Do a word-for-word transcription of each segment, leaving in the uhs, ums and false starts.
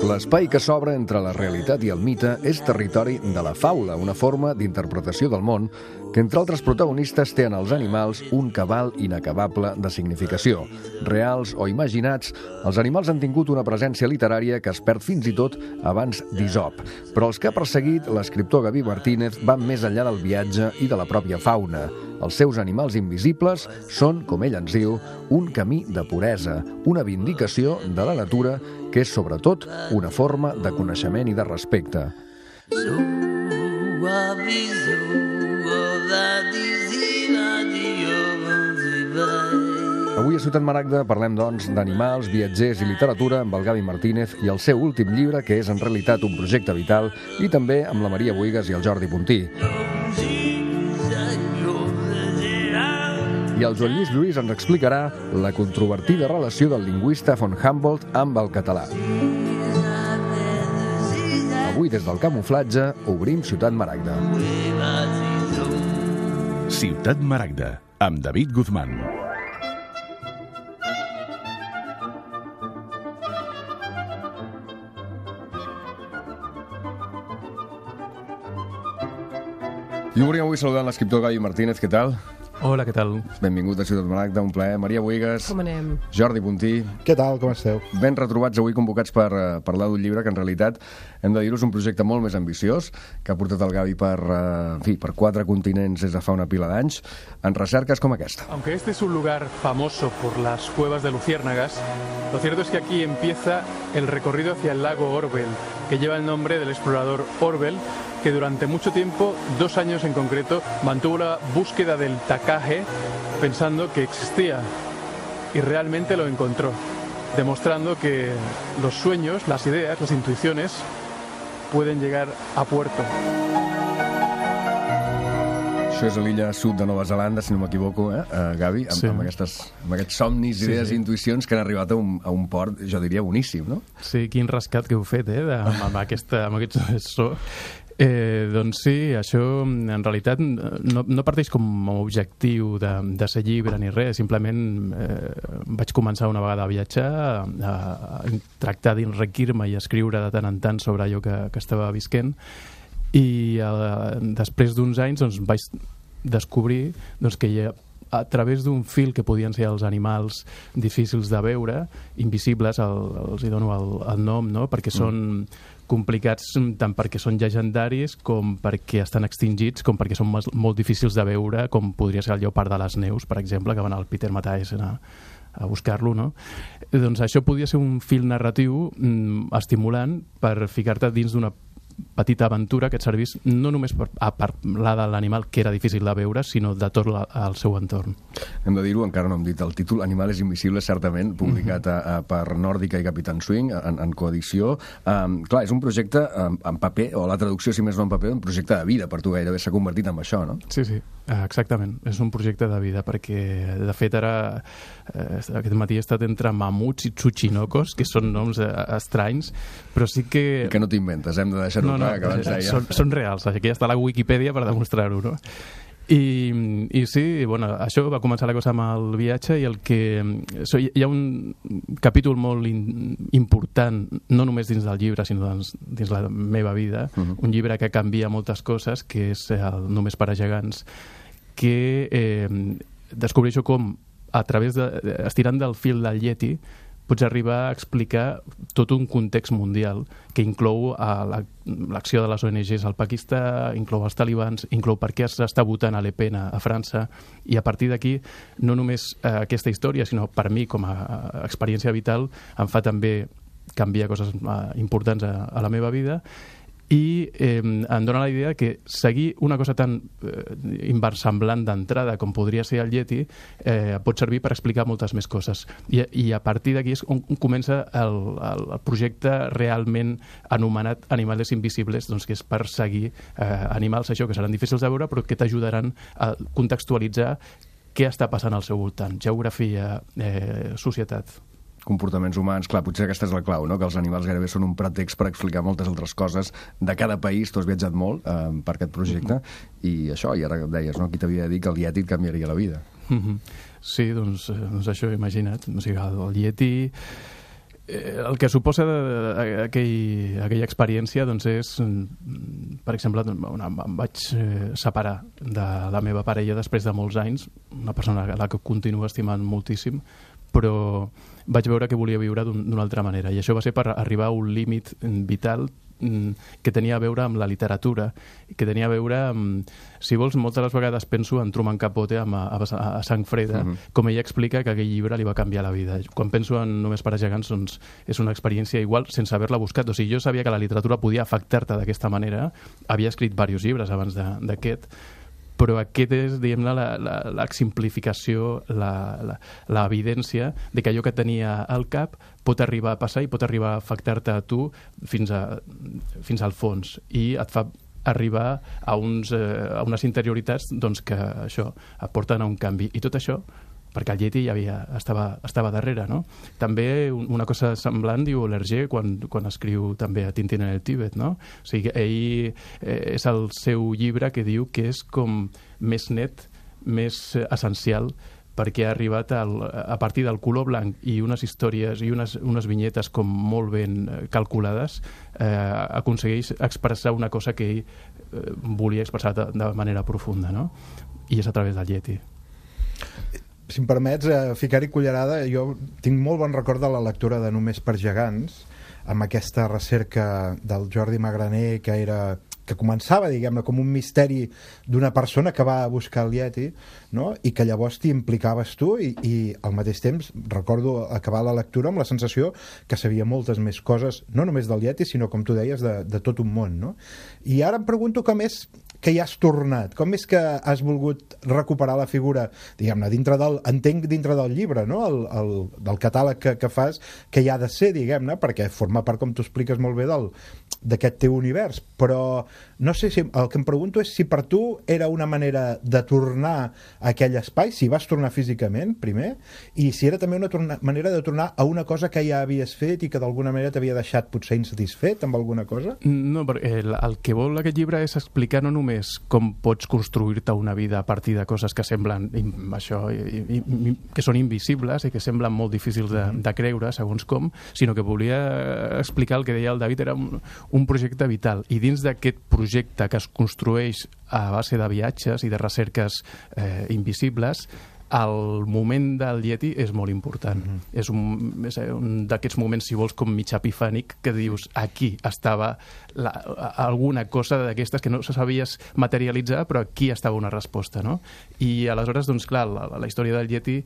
L'espai que s'obre entre la realitat i el mite és territori de la faula, una forma d'interpretació del món que, entre altres protagonistes, té en els animals un cabal inacabable de significació. Reals o imaginats, els animals han tingut una presència literària que es perd fins i tot abans d'Isop. Però els que ha perseguit l'escriptor Gavi Martínez van més enllà del viatge i de la pròpia fauna. Els seus animals invisibles són, com ell ens diu, un camí de puresa, una vindicació de la natura que és, sobretot, una forma de coneixement i de respecte. Avui a Ciutat Maragda parlem, doncs, d'animals, viatgers i literatura amb el Gavi Martínez i el seu últim llibre, que és en realitat un projecte vital, i també amb la Maria Buigas i el Jordi Puntí. I el Joan Lluís Lluís ens explicarà la controvertida relació del lingüista von Humboldt amb el català. Avui, des del camuflatge, obrim Ciutat Maragda. Ciutat Maragda, amb David Guzmán. I obrim avui saludant l'escriptor Gavi Martínez. Què tal? Hola, què tal? Benvingut a Ciutat Maragda, un plaer. Maria Buigas. Com anem? Jordi Puntí. Què tal, com esteu? Ben retrobats avui, convocats per uh, parlar d'un llibre que en realitat, hem de dir-ho, és un projecte molt més ambiciós, que ha portat el Gavi per, uh, en fi, per quatre continents des de fa una pila d'anys, en recerques com aquesta. Aunque este es un lugar famoso por las cuevas de luciérnagas, lo cierto es que aquí empieza el recorrido hacia el lago Orwell, que lleva el nombre del explorador Orwell, que durante mucho tiempo, dos años en concreto, mantuvo la búsqueda del tacaje pensando que existía y realmente lo encontró, demostrando que los sueños, las ideas, las intuiciones pueden llegar a puerto. Això és a l'illa sud de Nova Zelanda, si no m'equivoco, eh, uh, Gavi, amb, sí. amb, aquestes, amb aquests somnis, idees sí, sí. i intuïcions que han arribat a un, a un port, jo diria, boníssim, no? Sí, quin rescat que heu fet, eh, de, amb, amb, aquesta, amb aquest so. Eh, doncs sí, això en realitat no, no parteix com a objectiu de, de ser llibre ni res, simplement eh, vaig començar una vegada a viatjar, a, a tractar d'enriquir-me i escriure de tant en tant sobre allò que, que estava visquent, i eh, després d'uns anys doncs, vaig descobrir doncs, que hi ha, a través d'un fil que podien ser els animals difícils de veure, invisibles, el, els hi dono el, el nom, no? Perquè mm. són complicats tant perquè són llegendaris com perquè estan extingits, com perquè són molt difícils de veure, com podria ser el lleopard de les neus, per exemple, que van al Peter Matthijssen a, a buscar-lo, no? Doncs això podia ser un fil narratiu mm, estimulant per ficar-te dins d'una petita aventura que et servís no només per a parlar de l'animal que era difícil de veure, sinó de tot la, el seu entorn. Hem de dir-ho, encara no hem dit el títol, Animales Invisibles, certament, publicat a, a, per Nòrdica i Capitán Swing, en, en coedició. Um, clar, és un projecte um, en paper, o la traducció, si més no en paper, un projecte de vida per tu, gairebé s'ha convertit en això, no? Sí, sí, exactament. És un projecte de vida, perquè, de fet, ara, eh, aquest matí he estat entre mamuts i tsuchinokos, que són noms eh, estranys, però sí que... I que no t'inventes, hem de deixar no, no, que abans deia. Són, són reals, aquí està la Wikipedia per demostrar-ho, no? I, i sí, bueno, això va començar la cosa amb el viatge i el que... So, hi ha un capítol molt in, important, no només dins del llibre, sinó dins, dins la meva vida, uh-huh. un llibre que canvia moltes coses, que és el Només per a gegants, que eh, descobreixo com, a través de... estirant del fil del Yeti, pots arribar a explicar tot un context mundial que inclou l'acció de les O N Ges al Pakistà, inclou els talibans, inclou per què s'està votant a Le Pen a França, i a partir d'aquí no només eh, aquesta història, sinó per mi com a, a experiència vital em fa també canviar coses eh, importants a, a la meva vida, i eh, em dona la idea que seguir una cosa tan eh, inversemblant d'entrada com podria ser el Yeti eh, pot servir per explicar moltes més coses, i, i a partir d'aquí és on comença el, el, el projecte realment anomenat Animales Invisibles, doncs, que és per seguir eh, animals, això, que seran difícils de veure però que t'ajudaran a contextualitzar què està passant al seu voltant, geografia, eh, societat, comportaments humans. Clar, potser aquesta és la clau, no? Que els animals gairebé són un pretext per explicar moltes altres coses de cada país. Tu has viatjat molt eh, per aquest projecte, i això, i ara deies, no? Qui t'havia de dir que el Yeti et canviaria la vida? Mm-hmm. Sí, doncs, doncs això, imagina't. O sigui, el, el Yeti... Eh, el que suposa aquell, aquella experiència doncs és, per exemple, una, em vaig separar de la meva parella després de molts anys, una persona a la que continuo estimant moltíssim, però vaig veure que volia viure d'una altra manera, i això va ser per arribar a un límit vital que tenia a veure amb la literatura, que tenia a veure amb, si vols, moltes de les vegades penso en Truman Capote a, a, a Sang Freda, uh-huh. com ella explica que aquell llibre li va canviar la vida. Quan penso en Només per a gegants, doncs és una experiència igual sense haver-la buscat. O sigui, jo sabia que la literatura podia afectar-te d'aquesta manera, havia escrit diversos llibres abans d'aquest, però aquest és, diguem-ne, l'exemplificació, l'evidència de que allò que tenia al cap pot arribar a passar i pot arribar a afectar-te a tu fins, a, fins al fons, i et fa arribar a, uns, eh, a unes interioritats doncs, que això aporten a un canvi. I tot això perquè el Yeti ja havia, estava, estava darrere, no? També una cosa semblant diu L'Hergé quan, quan escriu també a Tintín en el Tíbet, no? O sigui, ell eh, és el seu llibre que diu que és com més net, més essencial, perquè ha arribat al, a partir del color blanc i unes històries i unes, unes vinyetes com molt ben calculades, eh, aconsegueix expressar una cosa que ell eh, volia expressar de, de manera profunda, no? I és a través del Yeti. Si em permets eh, ficar-hi cullerada, jo tinc molt bon record de la lectura de Només per gegants, amb aquesta recerca del Jordi Magraner, que era que començava, diguem-ne, com un misteri d'una persona que va a buscar el Yeti, no? I que llavors t'hi implicaves tu, i, i al mateix temps recordo acabar la lectura amb la sensació que sabia moltes més coses, no només del Yeti, sinó, com tu deies, de, de tot un món, no? I ara em pregunto com és que hi has tornat, com és que has volgut recuperar la figura, diguem-ne, dintre del, entenc dintre del llibre, no? El, el, del catàleg que, que fas, que hi ha de ser, diguem-ne, perquè forma part, com tu expliques molt bé, del, d'aquest teu univers, però no sé si, el que em pregunto és si per tu era una manera de tornar a aquell espai, si vas tornar físicament primer, i si era també una torna, manera de tornar a una cosa que ja havies fet i que d'alguna manera t'havia deixat potser insatisfet amb alguna cosa? No, perquè el, el que vol aquest llibre és explicar no només com pots construir-te una vida a partir de coses que semblen això, i, i, que són invisibles i que semblen molt difícils de, de creure, segons com, sinó que volia explicar el que deia el David, era un, un projecte vital, i dins d'aquest projecte que es construeix a base de viatges i de recerques eh, invisibles, el moment del Yeti és molt important. Mm-hmm. És un, és un d'aquests moments, si vols, com mig epifànic, que dius, aquí estava la, alguna cosa d'aquestes que no sabies materialitzar, però aquí estava una resposta, no? I aleshores, doncs clar, la, la història del Yeti eh,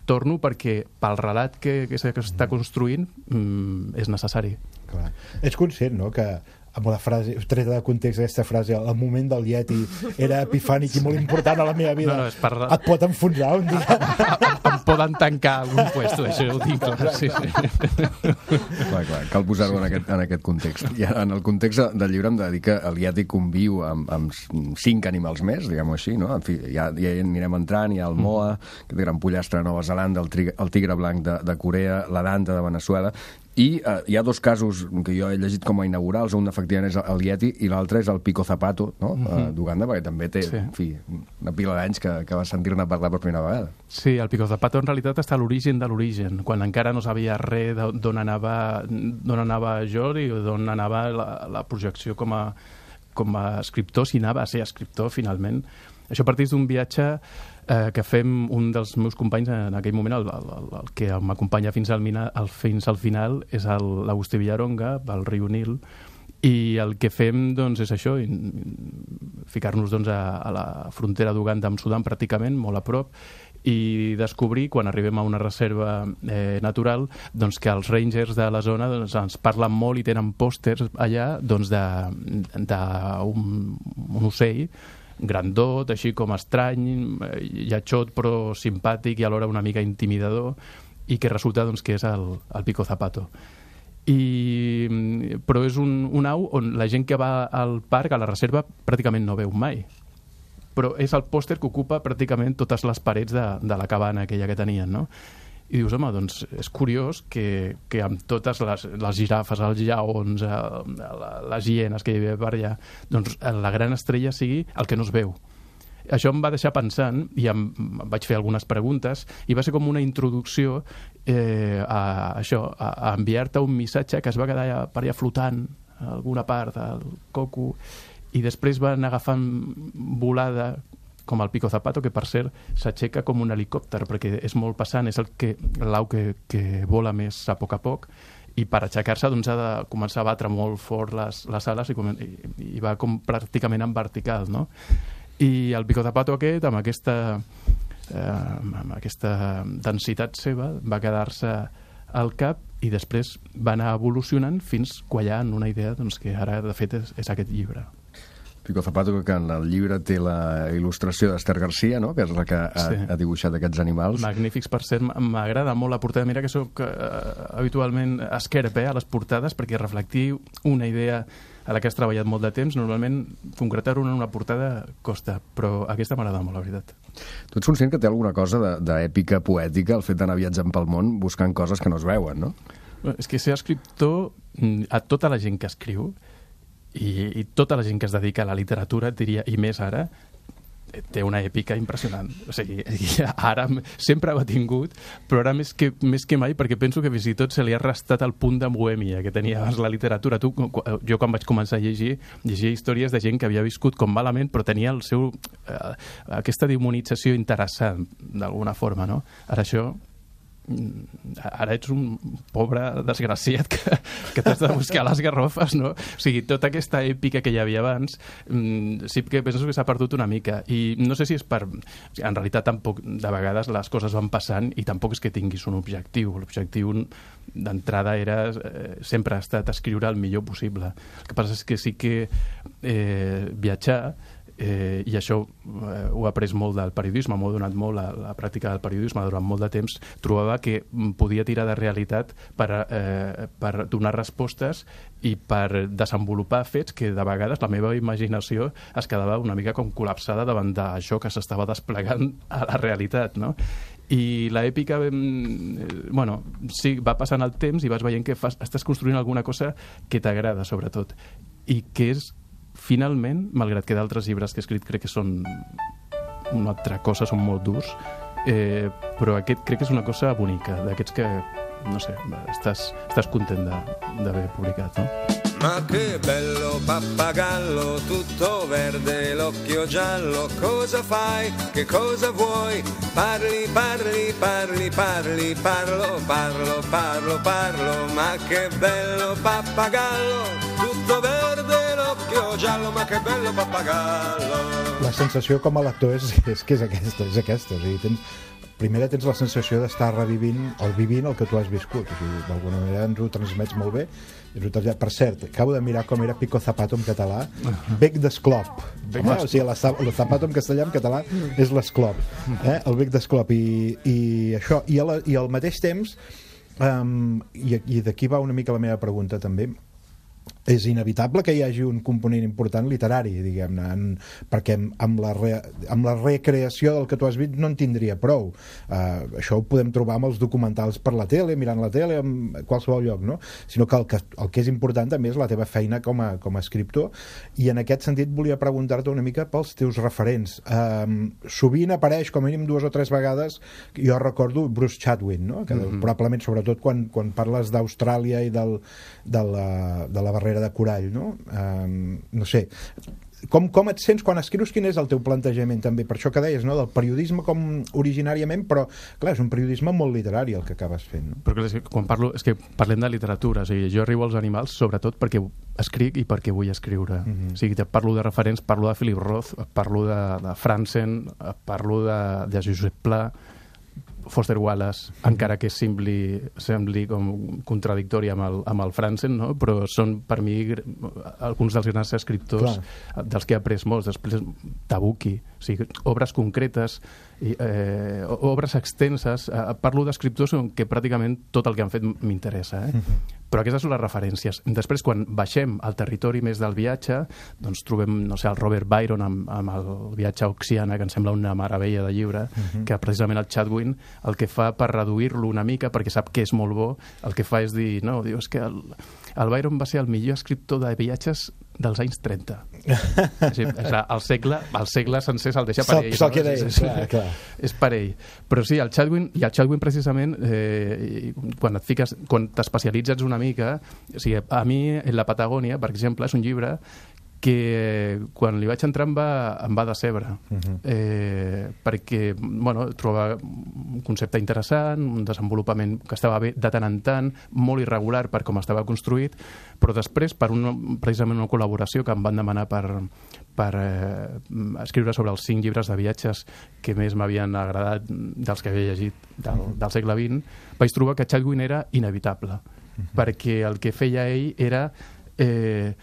torno perquè pel relat que, que s'està construint mm, és necessari. Clar. Ets conscient, no?, que amb la frase, treta de context aquesta frase, el moment del Yeti era epifànic i molt important a la meva vida, no, no, per... et pot enfonsar un dia. Em poden tancar algun puesto, això ho dic, clar, sí, sí. Clar, clar, cal posar-ho en aquest, en aquest context. I en el context del llibre em dedica el Yeti conviu amb, amb cinc animals més, diguem-ho així, no? En fi, ja, ja anirem entrant, hi ha el Moa, que té gran pollastre de Nova Zelanda, el, tigre, el tigre blanc de, de Corea, la danta de Veneçuela. I eh, hi ha dos casos que jo he llegit com a inaugurals, un efectivament és el Yeti i l'altre és el Pico Zapato, no? Mm-hmm. uh, d'Uganda, perquè també té, sí, en fi, una pila d'anys que, que va sentir-ne parlar per primera vegada. Sí, el Pico Zapato en realitat està a l'origen de l'origen, quan encara no sabia res d'on anava, d'on anava Jordi o d'on anava la, la projecció com a, com a escriptor, si anava a ser escriptor finalment. Això parteix d'un viatge eh, que fem un dels meus companys en aquell moment, el, el, el que m'acompanya fins al, mina, al, fins al final, és l'Agustí Villaronga, pel riu Nil, i el que fem doncs, és això, ficar-nos doncs, a, a la frontera d'Uganda amb Sudan pràcticament, molt a prop, i descobrir, quan arribem a una reserva eh, natural, doncs, que els rangers de la zona doncs, ens parlen molt i tenen pòsters allà doncs, d'un un ocell grandot, així com estrany, lletjot però simpàtic i alhora una mica intimidador, i que resulta doncs, que és el, el Pico Zapato. I, però és un, un au on la gent que va al parc, a la reserva, pràcticament no veu mai. Però és el pòster que ocupa pràcticament totes les parets de, de la cabana aquella que tenien, no? I dius, home, doncs és curiós que, que amb totes les, les girafes, els lleons, les hienes que hi havia per allà, doncs la gran estrella sigui el que no es veu. això em va deixar pensant i em, em vaig fer algunes preguntes i va ser com una introducció eh, a això, a, a enviar-te un missatge que es va quedar allà, per allà flotant a alguna part del coco i després van agafant volada com el Pico Zapato, que per cert s'aixeca com un helicòpter perquè és molt passant, és el que l'au que, que vola més a poc a poc i per aixecar-se doncs, ha de començar a batre molt fort les, les ales i, i, i va com pràcticament en vertical, no? I el Pico Zapato aquest, amb aquesta, eh, amb aquesta densitat seva, va quedar-se al cap i després va anar evolucionant fins quallar en una idea doncs, que ara, de fet, és, és aquest llibre. Pico Zapato, que en el llibre té la il·lustració d'Ester Garcia, no? Que és la que ha, sí. ha dibuixat aquests animals. Magnífics, per cert, m'agrada molt la portada. Mira que soc eh, habitualment esquerp eh, a les portades, perquè reflectir una idea a la que has treballat molt de temps, normalment concretar-ho en una portada costa, però aquesta m'agrada molt, la veritat. Tu ets conscient que té alguna cosa d'èpica poètica, el fet d'anar viatjant pel món buscant coses que no es veuen, no? És que ser escriptor, a tota la gent que escriu, I, i tota la gent que es dedica a la literatura, diria, i més ara, té una èpica impressionant. O sigui, ara sempre ha tingut, però ara més que, més que mai, perquè penso que fins i tot se li ha restat el punt de bohèmia que tenia abans la literatura. Tu, jo quan vaig començar a llegir, llegia històries de gent que havia viscut com malament, però tenia el seu, eh, aquesta demonització interessant, d'alguna forma, no? Ara això... ara ets un pobre desgraciat que, que t'has de buscar les garrofes, no? O sigui, tota aquesta èpica que hi havia abans sí que penso que s'ha perdut una mica i no sé si és per... En realitat tampoc de vegades les coses van passant i tampoc és que tinguis un objectiu. L'objectiu d'entrada era eh, sempre ha estat escriure el millor possible. El que passa és que sí que eh, viatjar Eh, i això eh, ho he après molt del periodisme, m'ho ha donat molt la, la pràctica del periodisme durant molt de temps, trobava que podia tirar de realitat per, eh, per donar respostes i per desenvolupar fets que de vegades la meva imaginació es quedava una mica com col·lapsada davant d'això que s'estava desplegant a la realitat, no? I l'èpica, eh, bueno, sí, va passant el temps i vas veient que fas, estàs construint alguna cosa que t'agrada, sobretot, i que és finalment, malgrat que d'altres llibres que he escrit crec que són una altra cosa, són molt durs, eh, però aquest crec que és una cosa bonica, d'aquests que, no sé, estàs, estàs content d'haver publicat, no? Ma che bello pappagallo, tutto verde, l'occhio giallo, cosa fai, che cosa vuoi? Parli, parli, parli, parli, parlo, parlo, parlo, parlo, ma che bello pappagallo, tutto verde, l'occhio giallo, ma che bello pappagallo. La sensació com a lector és, és que és aquesta, és aquesta, o sigui, tens... Primera tens la sensació d'estar revivint o vivint el que tu has viscut, o sigui, d'alguna manera ens ho transmets molt bé. Per cert, acabo de mirar com era Pico Zapato en català, bec d'esclop. Home, o sigui, el zapato en castellà en català és l'esclop, eh? El bec d'esclop. I, i això, i, la, i al mateix temps, um, i, i d'aquí va una mica la meva pregunta també, és inevitable que hi hagi un component important literari, diguem-ne, en, perquè amb la, re, amb la recreació del que tu has vist no en tindria prou. Uh, això ho podem trobar amb els documentals per la tele, mirant la tele, en qualsevol lloc, no? Sinó que el, que el que és important també és la teva feina com a, com a escriptor, i en aquest sentit volia preguntar-te una mica pels teus referents. Uh, sovint apareix, com a mínim dues o tres vegades, jo recordo Bruce Chatwin, no? Que mm-hmm. probablement, sobretot quan, quan parles d'Austràlia i del, de, la, de la barrera de corall, no? Um, no sé, com, com et sents quan escrius? Quin és el teu plantejament també? Per això que deies, no? Del periodisme com originàriament, però clar, és un periodisme molt literari el que acabes fent, no? Però és que quan parlo, és que parlem de literatura, o sigui, jo arribo als animals sobretot perquè escric i perquè vull escriure. Mm-hmm. O sigui, parlo de referents, parlo de Philip Roth, parlo de, de Franzen, parlo de, de Josep Pla, Foster Wallace, encara que sembli, sembli com contradictori amb el, amb el Franzen, no? Però són per mi alguns dels grans escriptors Clar. dels que he après molts. Després Tabucchi, o sigui, obres concretes, i, eh, obres extenses. Eh, parlo d'escriptors que pràcticament tot el que han fet m'interessa, eh? Mm-hmm. Però aquestes són les referències. Després, quan baixem al territori més del viatge, doncs trobem, no sé, el Robert Byron amb, amb el viatge a Oxiana, que em sembla una meravella de llibre, uh-huh. que precisament el Chatwin el que fa per reduir-lo una mica, perquè sap que és molt bo, el que fa és dir, no, diu, és que el, el Byron va ser el millor escriptor de viatges dels anys trenta. Sí, clar, el segle, el segle sencer se'l deixa per ell. Se'l no? queda ell, és, és, clar, clar. És per ell. Però sí, el Chatwin, i el Chatwin precisament, eh, quan et fiques, quan t'especialitzes una mica, o sigui, a mi, en la Patagònia, per exemple, és un llibre que quan li vaig entrar em va, em va decebre. Uh-huh. eh, perquè bueno, trobava un concepte interessant, un desenvolupament que estava bé de tant en tant, molt irregular per com estava construït, però després, per una, precisament una col·laboració que em van demanar per, per eh, escriure sobre els cinc llibres de viatges que més m'havien agradat dels que havia llegit del, del segle vint, vaig trobar que Chatwin era inevitable, uh-huh. perquè el que feia ell era eh,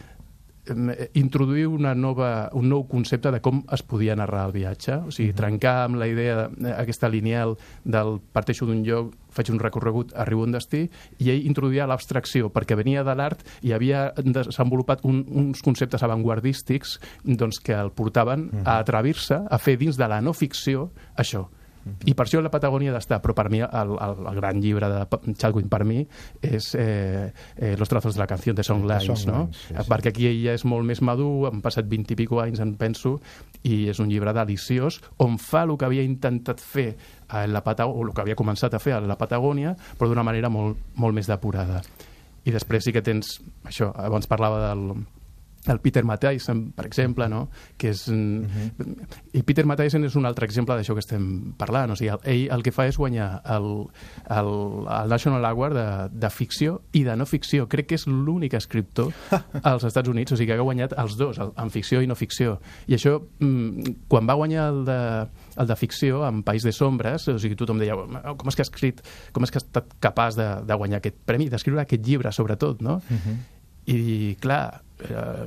introduir una nova, un nou concepte de com es podia narrar el viatge, o sigui, trencar amb la idea aquesta lineal del parteixo d'un lloc, faig un recorregut, arribo a un destí, i ell introduïa l'abstracció, perquè venia de l'art i havia desenvolupat un, uns conceptes avantguardístics doncs, que el portaven a atrevir-se a fer dins de la no ficció això. I per això la Patagònia ha d'estar, però per mi el, el, el gran llibre de Chatwin per mi és eh, eh, Los trazos de la canción de Songlines, no? Sí, sí. Perquè aquí ell ja és molt més madur, han passat vint i pico anys, en penso, i és un llibre deliciós on fa el que havia intentat fer a la Patagònia, o el que havia començat a fer a la Patagònia, però d'una manera molt, molt més depurada. I després sí que tens això, abans parlava del el Peter Matthijssen, per exemple, no? Que és, uh-huh. I Peter Matthijssen és un altre exemple d'això que estem parlant. O sigui, ell el que fa és guanyar el, el, el National Award de, de ficció i de no ficció. Crec que és l'únic escriptor als Estats Units, o sigui, que ha guanyat els dos, el, en ficció i no ficció. I això, quan va guanyar el de, el de ficció, en País de Sombres, o sigui, tothom deia, com és que ha escrit, com és que ha estat capaç de, de guanyar aquest premi, d'escriure aquest llibre, sobretot, no? Uh-huh. I, clar, eh,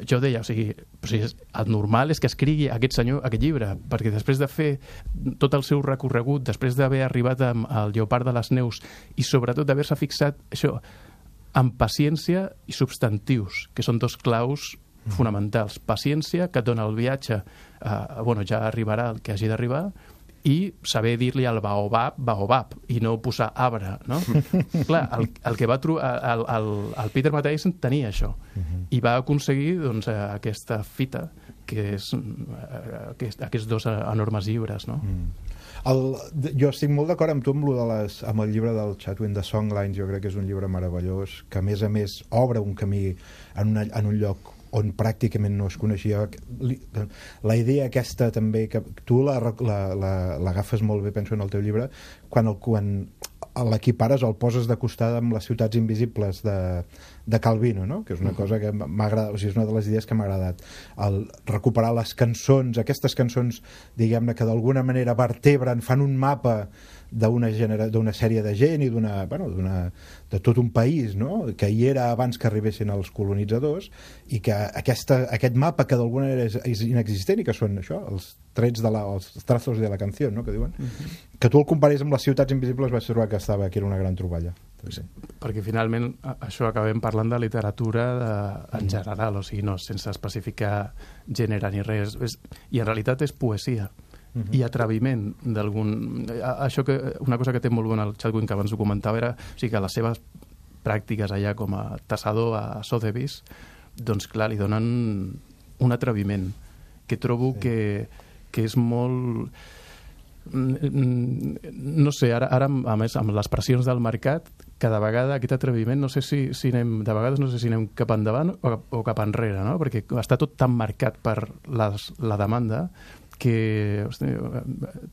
jo deia, o sigui, o sigui, el normal és que escrigui aquest senyor aquest llibre, perquè després de fer tot el seu recorregut, després d'haver arribat al Lleopard de les Neus i sobretot d'haver-se fixat això, amb paciència i substantius, que són dos claus fonamentals. Paciència, que et dona el viatge, eh, bueno, ja arribarà el que hagi d'arribar, i saber dir-li al baobab, baobab, i no posar arbre, no? Clar, el, el que va trobar, el, el, el Peter Matthijssen tenia això, uh-huh. i va aconseguir doncs, aquesta fita, que és aquest, aquests dos enormes llibres, no? Mm. El, jo estic molt d'acord amb tu amb, de les, amb el llibre del Chatwin de Songlines. Jo crec que és un llibre meravellós, que a més a més obre un camí en, una, en un lloc on pràcticament no es coneixia. La idea aquesta també, que tu l'agafes molt bé, penso, en el teu llibre, quan, el, quan l'equipares o el poses de costat amb les ciutats invisibles de, de Calvino, no? Que és una cosa que m'ha agradat, o sigui, és una de les idees que m'ha agradat. El recuperar les cançons, aquestes cançons, diguem-ne, que d'alguna manera vertebren, fan un mapa d'una genera, d'una sèrie de gent i d'una, bueno, d'una, de tot un país, no? Que hi era abans que arribessin els colonitzadors, i que aquesta, aquest mapa que d'alguna manera és, és inexistent i que són això, els trets de la, els trazos de la canció, no? Que diuen, uh-huh. que tu el comparis amb les ciutats invisibles, vaig trobar que estava, que era una gran troballa. Sí. Perquè finalment això acabem parlant de literatura de, en general, o sigui, no sense especificar gènere ni res, és, i en realitat és poesia. Uh-huh. I atreviment d'algun... Això que, una cosa que té molt bona el Chatwin, que abans ho comentava, era o sigui, que les seves pràctiques allà com a tassador a Sotheby's, doncs clar, li donen un atreviment que trobo sí. que, que és molt... No sé, ara, ara a més amb les pressions del mercat, cada vegada aquest atreviment, no sé si, si anem, de vegades no sé si anem cap endavant o, o cap enrere, no? Perquè està tot tan marcat per les, la demanda que hosti,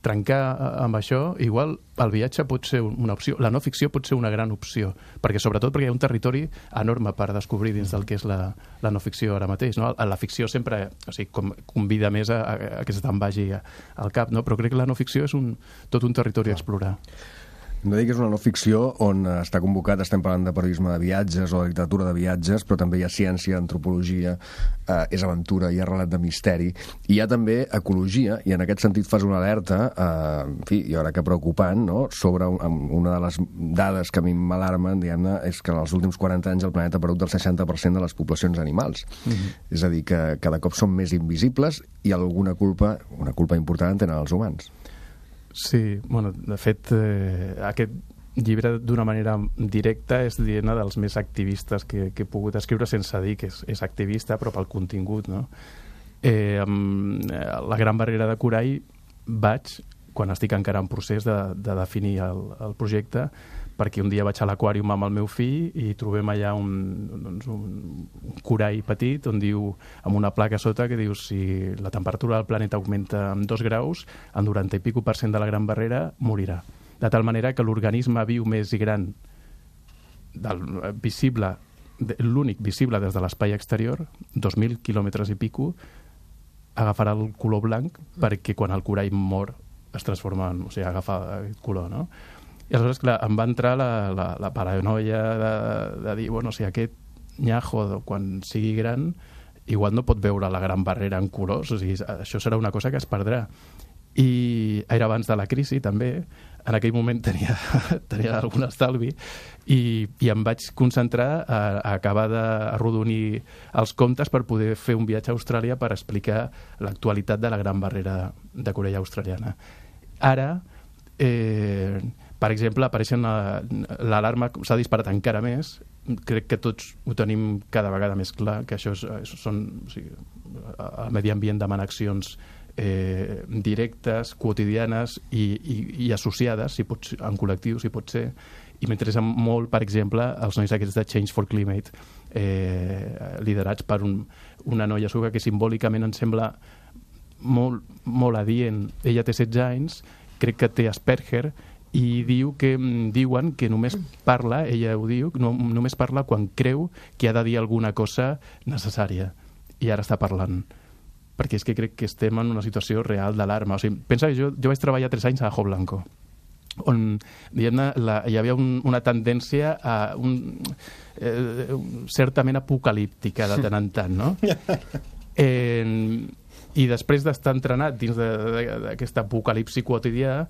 trencar amb això, igual el viatge pot ser una opció, la no ficció pot ser una gran opció, perquè sobretot perquè hi ha un territori enorme per descobrir dins del que és la, la no ficció ara mateix, no? La ficció sempre, o sigui, com, convida més a, a que se te'n vagi al cap, no? Però crec que la no ficció és un, tot un territori a explorar. No dic que és una no ficció on està convocat, estem parlant de periodisme de viatges o de literatura de viatges, però també hi ha ciència, antropologia, eh, és aventura, hi ha relat de misteri, i hi ha també ecologia, i en aquest sentit fas una alerta, eh, en fi, jo crec que preocupant, no?, sobre un, una de les dades que a mi m'alarmen, diguem-ne, és que en els últims quaranta anys el planeta ha perdut el seixanta per cent de les poblacions animals. Mm-hmm. És a dir, que cada cop són més invisibles i alguna culpa, una culpa important tenen els humans. Sí, bueno, de fet, eh, aquest llibre d'una manera directa és diguem-ne dels més activistes que, que he pogut escriure, sense dir que és, és activista, però pel contingut, no? Eh, amb la Gran Barrera de Corall vaig, quan estic encara en procés de, de definir el, el projecte, perquè un dia vaig a l'aquàrium amb el meu fill i trobem allà un, doncs un, un corall petit on diu, amb una placa sota que diu si la temperatura del planeta augmenta en dos graus, en noranta i pico per cent de la Gran Barrera morirà. De tal manera que l'organisme viu més i gran del, visible, l'únic visible des de l'espai exterior, dos mil quilòmetres i pico, agafarà el color blanc perquè quan el corall mor es transforma en, o sigui, agafa aquest color, no? I aleshores, clar, em va entrar la, la, la paranoia de, de dir, bueno, si aquest nyajo, quan sigui gran, igual no pot veure la Gran Barrera en colors, o sigui, això serà una cosa que es perdrà. I era abans de la crisi, també. En aquell moment tenia, tenia algun estalvi i, i em vaig concentrar a, a acabar d'arrodonir els comptes per poder fer un viatge a Austràlia per explicar l'actualitat de la Gran Barrera de Corall australiana. Ara, eh, per exemple, apareixen l'alarma, s'ha disparat encara més, crec que tots ho tenim cada vegada més clar, que això és, són, o sigui, el medi ambient demana accions eh, directes, quotidianes i, i, i associades, si pot, en col·lectiu, si pot ser, i m'interessa molt, per exemple, els nois aquests de Change for Climate, eh, liderats per un, una noia sueca que simbòlicament em sembla molt, molt adient. Ella té setze anys, crec que té Asperger, i diu que diuen que només parla, ella ho diu, no, només parla quan creu que ha de dir alguna cosa necessària, i ara està parlant, perquè és que crec que estem en una situació real d'alarma. O sigui, pensa que jo, jo vaig treballar tres anys a Ajo Blanco, on diguem-ne, la, hi havia un, una tendència a un, eh, certament apocalíptica de tant en tant, no? Eh, I després d'estar entrenat dins d'aquest apocalipsi quotidià,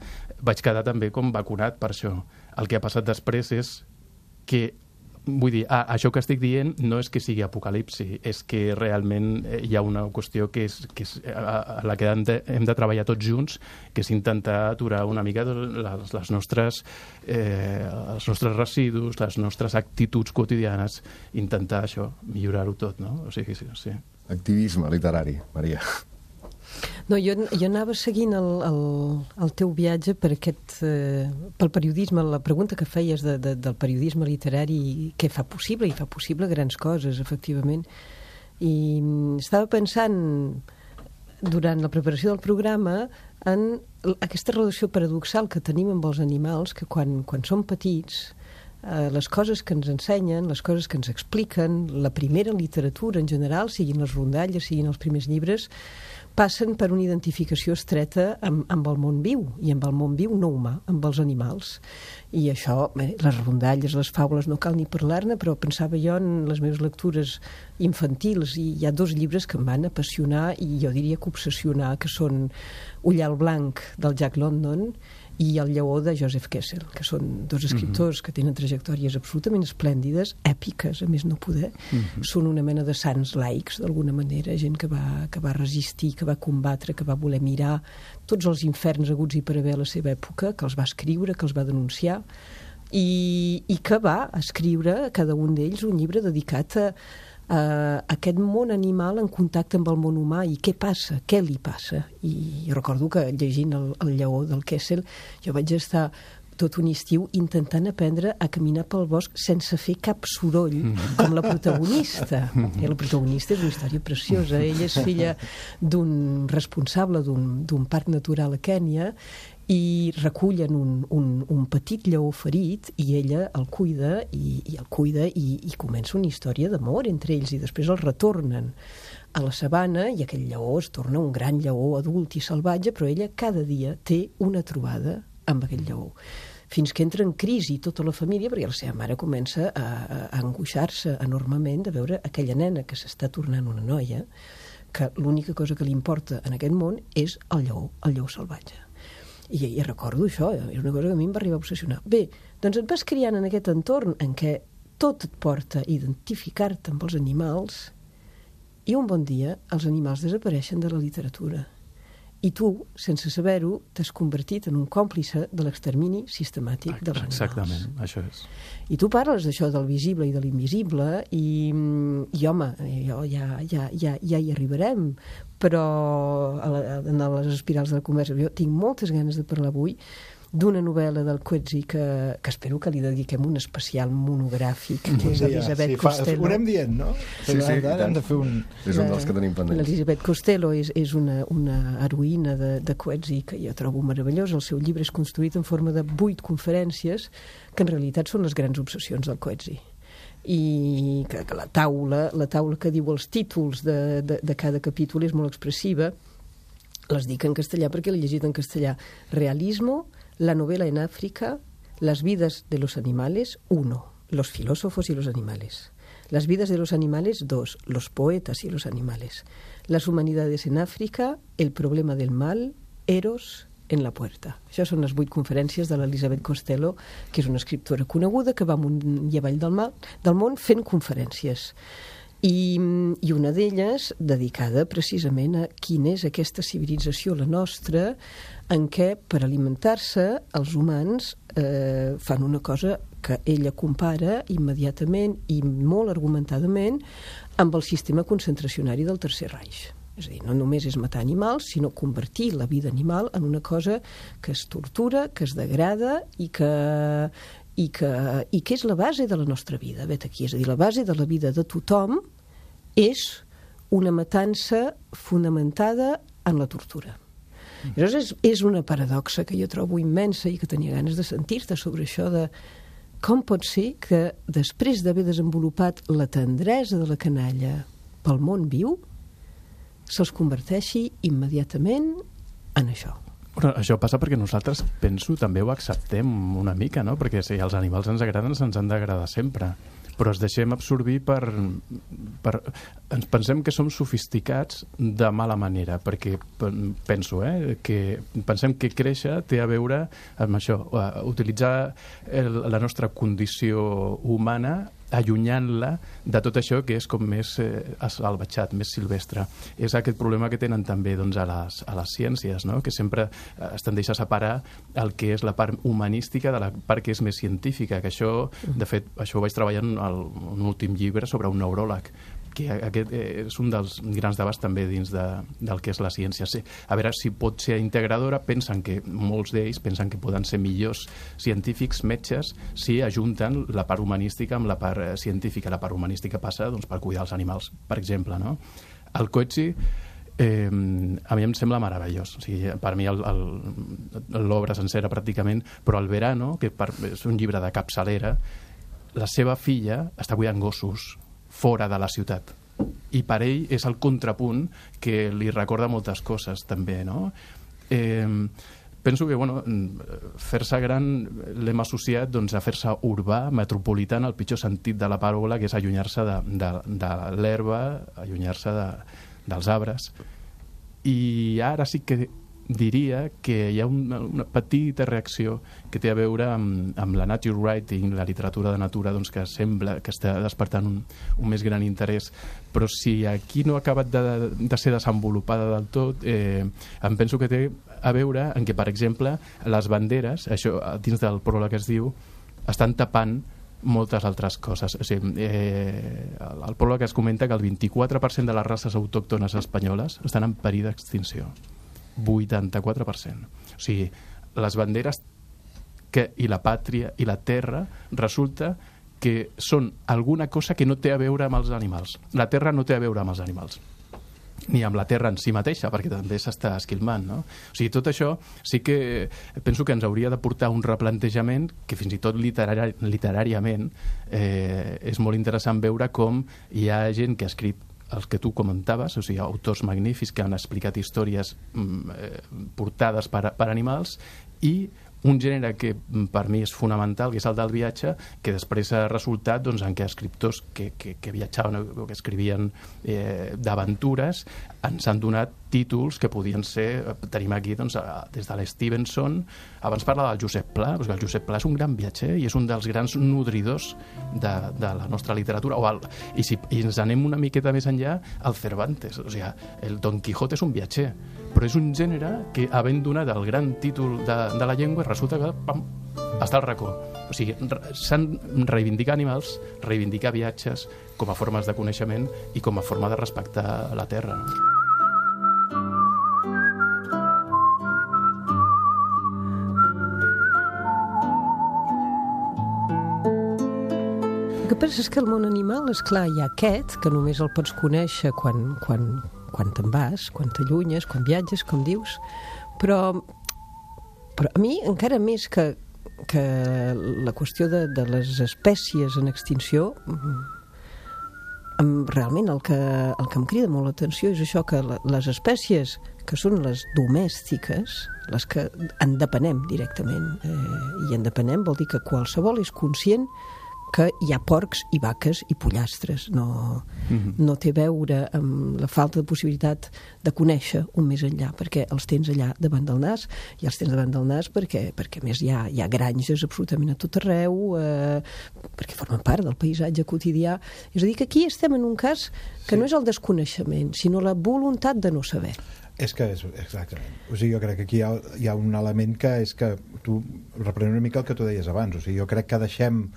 vaig quedar també com vacunat per això. El que ha passat després és que, vull dir, ah, això que estic dient no és que sigui apocalipsi, és que realment hi ha una qüestió que és, que és a la que hem de, hem de treballar tots junts, que és intentar aturar una mica les, les nostres, eh, els nostres residus, les nostres actituds quotidianes, intentar això, millorar-ho tot, no? O sigui, sí, sí. Activisme literari, Maria. No, jo, jo anava seguint el, el, el teu viatge per aquest, eh, pel periodisme, la pregunta que feies de, de, del periodisme literari, què fa possible, i fa possible grans coses, efectivament. I estava pensant, durant la preparació del programa, en aquesta relació paradoxal que tenim amb els animals, que quan, quan som petits, eh, les coses que ens ensenyen, les coses que ens expliquen, la primera literatura en general, siguin les rondalles, siguin els primers llibres, passen per una identificació estreta amb, amb el món viu, i amb el món viu no humà, amb els animals. I això, bé, les rondalles, les faules, no cal ni parlar-ne, però pensava jo en les meves lectures infantils, i hi ha dos llibres que em van apassionar, i jo diria que obsessionar, que són Ullal Blanc, del Jack London, i El Lleó, de Joseph Kessel, que són dos escriptors mm-hmm. que tenen trajectòries absolutament esplèndides, èpiques, a més no poder. Mm-hmm. Són una mena de sants laics, d'alguna manera, gent que va, que va resistir, que va combatre, que va voler mirar tots els inferns haguts i per haver a la seva època, que els va escriure, que els va denunciar, i, i que va escriure, cada un d'ells, un llibre dedicat a Uh, aquest món animal en contacte amb el món humà, i què passa, què li passa. I recordo que llegint el, el Lleó del Kessel jo vaig estar tot un estiu intentant aprendre a caminar pel bosc sense fer cap soroll, mm. com la protagonista. Mm. I la protagonista és una història preciosa. Ella és filla d'un responsable d'un, d'un parc natural a Kènia, i recullen un, un, un petit lleó ferit, i ella el cuida, i, i el cuida, i, i comença una història d'amor entre ells, i després el retornen a la sabana, i aquell lleó es torna un gran lleó adult i salvatge, però ella cada dia té una trobada amb aquell lleó, fins que entra en crisi tota la família, perquè la seva mare comença a, a angoixar-se enormement de veure aquella nena que s'està tornant una noia, que l'única cosa que li importa en aquest món és el lleó, el lleó salvatge. I, i recordo això, és una cosa que a mi em va arribar a obsessionar. Bé, doncs et vas criant en aquest entorn en què tot et porta a identificar-te amb els animals, i un bon dia els animals desapareixen de la literatura. I tu, sense saber-ho, t'has convertit en un còmplice de l'extermini sistemàtic dels animals. Exactament, això és. I tu parles d'això del visible i de l'invisible i, i home, jo ja, ja, ja, ja hi arribarem, però a la, en les espirals de la conversa jo tinc moltes ganes de parlar avui d'una novel·la del Coetzee que, que espero que li dediquem un especial monogràfic, que és Elisabeth sí, Costello. Ho anem dient, no? Sí, sí, hem de fer un... És un dels que tenim pendents. L'Elisabeth Costello és, és una, una heroïna de, de Coetzee que jo trobo meravellós. El seu llibre és construït en forma de vuit conferències que en realitat són les grans obsessions del Coetzee. I que, que la taula, la taula que diu els títols de, de, de cada capítol és molt expressiva. Les dic en castellà perquè l'he llegit en castellà. Realismo, la novela en África, las vidas de los animales, uno, los filósofos y los animales. Las vidas de los animales, dos, los poetas y los animales. Las humanidades en África, el problema del mal, Eros en la puerta. Això són les vuit conferències de l'Elisabeth Costello, que és una escriptora coneguda que va amunt i avall del, mal, del món fent conferències. I, i una d'elles dedicada precisament a quina és aquesta civilització, la nostra, en què per alimentar-se els humans eh, fan una cosa que ella compara immediatament i molt argumentadament amb el sistema concentracionari del Tercer Reich. És a dir, no només és matar animals, sinó convertir la vida animal en una cosa que es tortura, que es degrada i que... I que, i que és la base de la nostra vida. Vet aquí, és a dir, la base de la vida de tothom és una matança fonamentada en la tortura. Mm. Llavors és, és una paradoxa que jo trobo immensa i que tenia ganes de sentir-te sobre això de com pot ser que després d'haver desenvolupat la tendresa de la canalla pel món viu se'ls converteixi immediatament en això. Però això passa perquè nosaltres, penso, també ho acceptem una mica, no? Perquè si els animals ens agraden, se'ns han d'agradar sempre. Però ens deixem absorbir per, per... Ens pensem que som sofisticats de mala manera, perquè penso, eh, que pensem que créixer té a veure amb això, utilitzar el, la nostra condició humana allunyant-la de tot això que és com més eh, salvatjat, més silvestre. És aquest problema que tenen també doncs, a, les, a les ciències, no? Que sempre eh, es tendeix a separar el que és la part humanística de la part que és més científica, que això, de fet, això ho vaig treballar en el, un últim llibre sobre un neuròleg, que aquest és un dels grans debats també dins de, del que és la ciència. Sí, a veure si pot ser integradora, pensen que molts d'ells pensen que poden ser millors científics, metges, si ajunten la part humanística amb la part científica. La part humanística passa doncs, per cuidar els animals, per exemple, no? El Coetzee eh, a mi em sembla meravellós. O sigui, per mi l'obra sencera pràcticament, però el Verano, que per, és un llibre de capçalera, la seva filla està cuidant gossos fora de la ciutat. I per ell és el contrapunt que li recorda moltes coses, també, no? Eh, penso que, bueno, fer-se gran l'hem associat doncs, a fer-se urbà, metropolità, en el pitjor sentit de la paraula, que és allunyar-se de, de, de l'herba, allunyar-se de, dels arbres. I ara sí que diria que hi ha una, una petita reacció que té a veure amb, amb la nature writing, la literatura de natura, doncs, que sembla que està despertant un, un més gran interès, però si aquí no ha acabat de, de ser desenvolupada del tot, eh, em penso que té a veure en què, per exemple, les banderes, això dins del pròleg es diu, estan tapant moltes altres coses. O sigui, eh, el pròleg es comenta que el vint-i-quatre per cent de les races autòctones espanyoles estan en perill d'extinció. vuitanta-quatre per cent. O sigui, les banderes que, i la pàtria i la terra resulta que són alguna cosa que no té a veure amb els animals. La terra no té a veure amb els animals, ni amb la terra en si mateixa, perquè també s'està esquilmant, no? O sigui, tot això sí que penso que ens hauria de portar un replantejament que fins i tot literari, literàriament eh, és molt interessant veure com hi ha gent que ha escrit els que tu comentaves, o sigui, autors magnífics que han explicat històries eh, portades per, per animals, i un gènere que per mi és fonamental, que és el del viatge, que després ha resultat doncs, en què escriptors que, que, que viatjaven o que escrivien eh, d'aventures ens han donat títols que podien ser, tenim aquí doncs, des de l'Stevenson, abans parlava del Josep Pla, perquè el Josep Pla és un gran viatger i és un dels grans nodridors de, de la nostra literatura, o el, i si i ens anem una miqueta més enllà, el Cervantes, o sigui, el Don Quijote és un viatger, però és un gènere que, havent donat el gran títol de, de la llengua, resulta que pam, està al racó. O sigui, s'han reivindicat animals, reivindicar viatges com a formes de coneixement i com a forma de respectar la terra, no? El que passa és que el món animal, és clar, hi ha aquest, que només el pots conèixer quan, quan, quan te'n vas, quan t'allunyes, quan viatges, com dius, però, però a mi, encara més que, que la qüestió de, de les espècies en extinció, em, realment el que, el que em crida molt l'atenció és això, que la, les espècies que són les domèstiques, les que en depenem directament, eh, i en depenem vol dir que qualsevol és conscient que hi ha porcs i vaques i pollastres. No, mm-hmm. no té a veure amb la falta de possibilitat de conèixer un més enllà, perquè els tens allà davant del nas, i els tens davant del nas perquè, perquè a més hi ha, hi ha granges absolutament a tot arreu, eh, perquè formen part del paisatge quotidià. És a dir, que aquí estem en un cas que sí. no és el desconeixement, sinó la voluntat de no saber. És que és, exactament. O sigui, jo crec que aquí hi ha, hi ha un element que és que tu reprenent una mica el que tu deies abans. O sigui, jo crec que deixem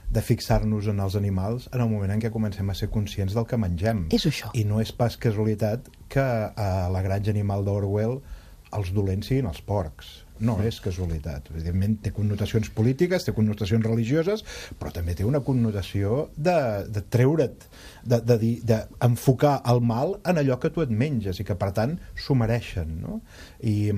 de fixar-nos en els animals en el moment en què comencem a ser conscients del que mengem. És això. I no és pas casualitat que a la granja animal d'Orwell els dolents siguin els porcs. No és casualitat. Evidentment té connotacions polítiques, té connotacions religioses, però també té una connotació de, de treure't, de, de, de, de enfocar el mal en allò que tu et menges i que per tant s'ho mereixen, no? I,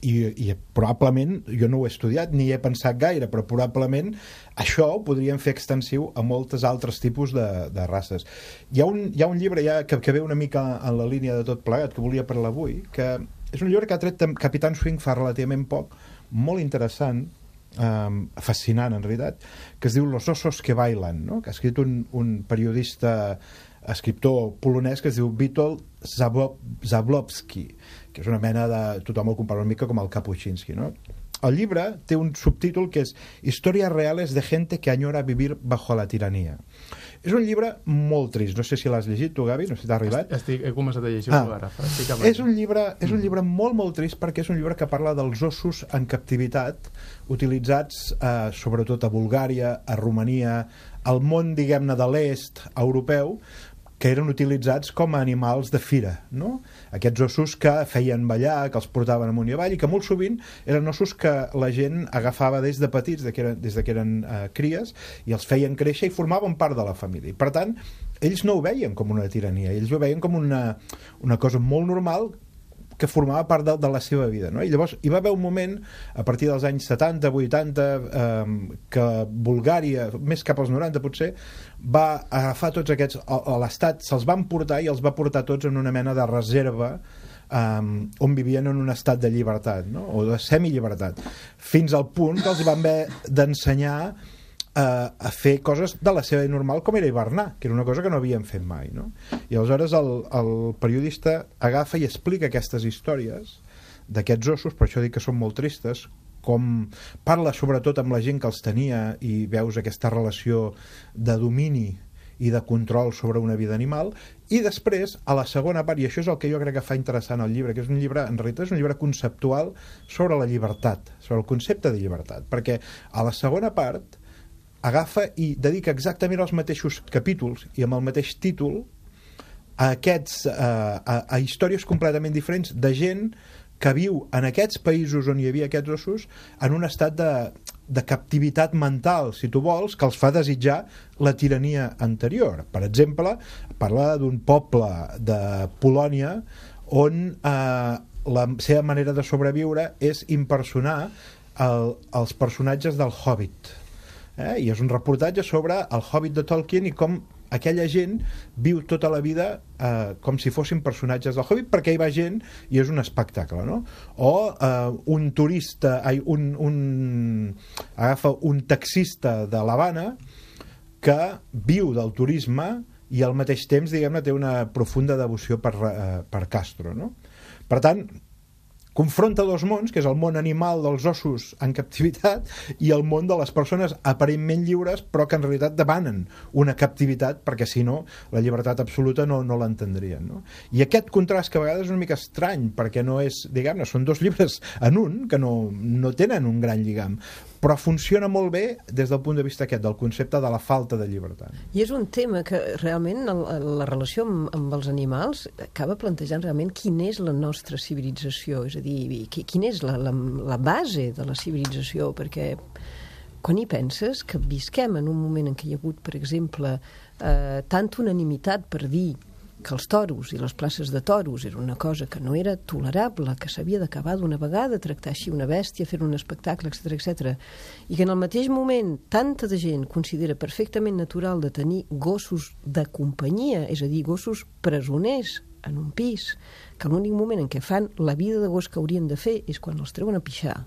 i, i probablement, jo no ho he estudiat ni he pensat gaire, però probablement això ho podríem fer extensiu a moltes altres tipus de, de races. Hi ha un, hi ha un llibre ja que, que ve una mica en la línia de tot plegat que volia parlar avui, que és un llibre que ha tret Capitán Swing fa relativament poc, molt interessant, um, fascinant en realitat, que es diu Los osos que bailan, no? Que ha escrit un, un periodista, escriptor polonès que es diu Witold Zablowski, que és una mena de... tothom el compara una mica com el Kapuscinski, no? El llibre té un subtítol que és Historias reales de gente que añora vivir bajo la tiranía. És un llibre molt trist. No sé si l'has llegit tu, Gavi, no sé si t'ha arribat. Estic, he començat a llegir-ho ah. ara. Estic és un llibre, és un llibre molt, molt trist perquè és un llibre que parla dels ossos en captivitat utilitzats eh, sobretot a Bulgària, a Romania, al món, diguem-ne, de l'est europeu, que eren utilitzats com a animals de fira, no? Aquests ossos que feien ballar, que els portaven amunt i avall, i que molt sovint eren ossos que la gent agafava des de petits, de que eren, des de que eren eh, cries, i els feien créixer i formaven part de la família. I per tant, ells no ho veien com una tirania, ells ho veien com una, una cosa molt normal que formava part de, de la seva vida, no? I llavors hi va haver un moment a partir dels anys setanta, vuitanta eh, que Bulgària, més cap als noranta potser, va agafar tots aquests, a, a l'estat se'ls van portar i els va portar tots en una mena de reserva um, on vivien en un estat de llibertat, no? O de semillibertat, fins al punt que els van haver d'ensenyar a, a fer coses de la seva normal, com era hivernar, que era una cosa que no havien fet mai, no? I aleshores el, el periodista agafa i explica aquestes històries d'aquests ossos, per això dic que són molt tristes, com parla sobretot amb la gent que els tenia i veus aquesta relació de domini i de control sobre una vida animal, i després, a la segona part, i això és el que jo crec que fa interessant el llibre, que és un llibre, en realitat és un llibre conceptual sobre la llibertat, sobre el concepte de llibertat, perquè a la segona part agafa i dedica exactament els mateixos capítols i amb el mateix títol a aquests a, a, a històries completament diferents de gent que viu en aquests països on hi havia aquests ossos en un estat de, de captivitat mental, si tu vols, que els fa desitjar la tirania anterior. Per exemple, parla d'un poble de Polònia on eh, la seva manera de sobreviure és impersonar el, els personatges del Hobbit. Eh? I és un reportatge sobre el Hobbit de Tolkien i com aquella gent viu tota la vida eh, com si fossin personatges del Hobbit, perquè hi va gent i és un espectacle, no? O eh, un turista, ai, un, un, agafa un taxista de l'Havana que viu del turisme i al mateix temps, diguem-ne, té una profunda devoció per, eh, per Castro, no? Per tant, confronta dos mons, que és el món animal dels ossos en captivitat i el món de les persones aparentment lliures però que en realitat demanen una captivitat, perquè si no la llibertat absoluta no, no l'entendrien, no? I aquest contrast que a vegades és una mica estrany perquè no és, diguem-ne, són dos llibres en un que no, no tenen un gran lligam, però funciona molt bé des del punt de vista aquest, del concepte de la falta de llibertat. I és un tema que realment el, la relació amb, amb els animals acaba plantejant realment quina és la nostra civilització, és a dir, quina és la, la, la base de la civilització, perquè quan hi penses que visquem en un moment en què hi ha hagut, per exemple, eh, tanta unanimitat per dir que els toros i les places de toros era una cosa que no era tolerable, que s'havia d'acabar d'una vegada, tractar així una bèstia, fer un espectacle, etcètera, etcètera, i que en el mateix moment tanta de gent considera perfectament natural de tenir gossos de companyia, és a dir, gossos presoners en un pis, que l'únic moment en què fan la vida de gos que haurien de fer és quan els treuen a pixar,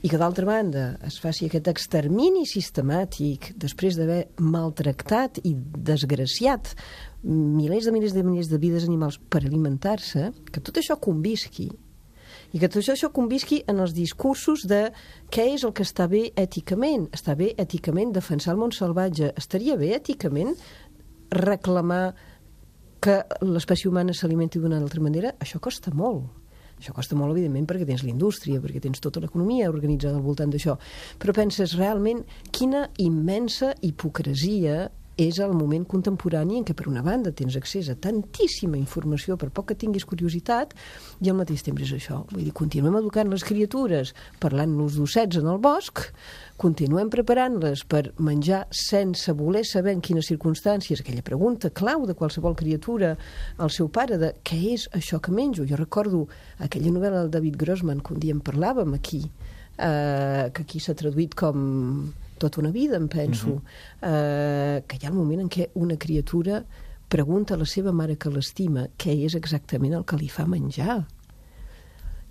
i que d'altra banda es faci aquest extermini sistemàtic després d'haver maltractat i desgraciat milers de milers de milers de vides animals per alimentar-se, que tot això convisqui i que tot això convisqui en els discursos de què és el que està bé èticament. Està bé èticament defensar el món salvatge, estaria bé èticament reclamar que l'espècie humana s'alimenti d'una altra manera. Això costa molt. Això costa molt, evidentment, perquè tens la indústria, perquè tens tota l'economia organitzada al voltant d'això. Però penses realment quina immensa hipocresia és el moment contemporani en què, per una banda, tens accés a tantíssima informació per poc que tinguis curiositat i al mateix temps és això. Vull dir, continuem educant les criatures parlant-nos d'ossets en el bosc, continuem preparant-les per menjar sense voler saber en quines circumstàncies, aquella pregunta clau de qualsevol criatura al seu pare de què és això que menjo. Jo recordo aquella novel·la del David Grossman que un dia en parlàvem aquí, eh, que aquí s'ha traduït com Tota una vida, em penso, uh-huh. eh, que hi ha el moment en què una criatura pregunta a la seva mare que l'estima què és exactament el que li fa menjar.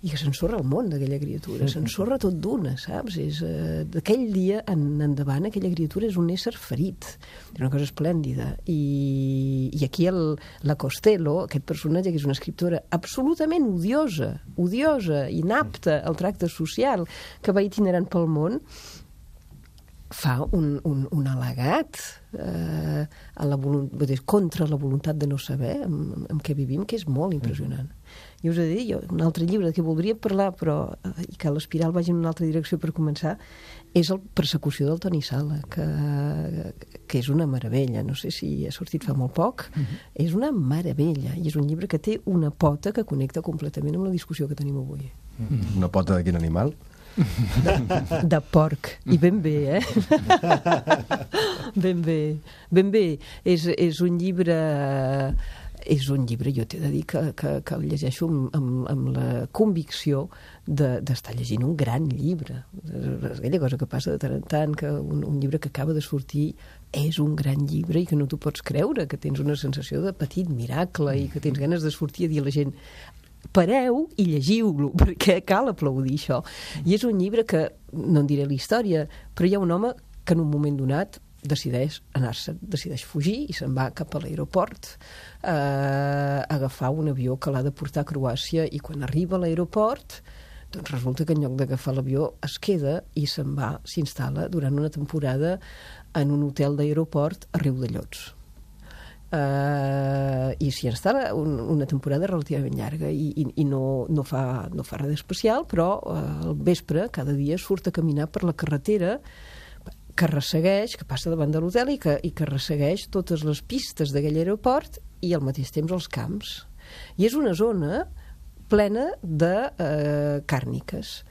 I que s'ensorra el món d'aquella criatura, s'ensorra tot d'una, saps? És, eh, d'aquell dia en endavant aquella criatura és un ésser ferit, és una cosa esplèndida. I, i aquí el, la Costello, aquest personatge que és una escriptora absolutament odiosa, odiosa, inapta al tracte social, que va itinerant pel món, fa un, un, un al·legat eh, a la voluntat, contra la voluntat de no saber amb, amb què vivim, que és molt impressionant. I us he de dir, jo, un altre llibre de què voldria parlar, però eh, i que l'Espiral vagi en una altra direcció per començar, és el Persecució del Toni Sala, que, que és una meravella. No sé si ha sortit fa molt poc. Uh-huh. És una meravella, i és un llibre que té una pota que connecta completament amb la discussió que tenim avui. Uh-huh. Una pota de quin animal? De, de porc, i ben bé, eh? ben bé, ben bé. És, és un llibre... És un llibre, jo t'he de dir, que, que, que el llegeixo amb, amb, amb la convicció de, d'estar llegint un gran llibre. És aquella cosa que passa de tant en tant, que un, un llibre que acaba de sortir és un gran llibre i que no t'ho pots creure, que tens una sensació de petit miracle i que tens ganes de sortir a dir a la gent pareu i llegiu-lo, perquè cal aplaudir això. I és un llibre que, no en diré la història, però hi ha un home que en un moment donat decideix anar-se, decideix fugir i se'n va cap a l'aeroport eh, a agafar un avió que l'ha de portar a Croàcia, i quan arriba a l'aeroport doncs resulta que en lloc d'agafar l'avió es queda i se'n va, s'instal·la durant una temporada en un hotel d'aeroport a Riudellots. Uh, i s'hi instal·la un, una temporada relativament llarga i, i, i no, no, fa, no fa res d'especial, però uh, al vespre cada dia surt a caminar per la carretera que ressegueix, que passa davant de l'hotel i que, i que ressegueix totes les pistes d'aquell aeroport i al mateix temps els camps. I és una zona plena de uh, càrniques,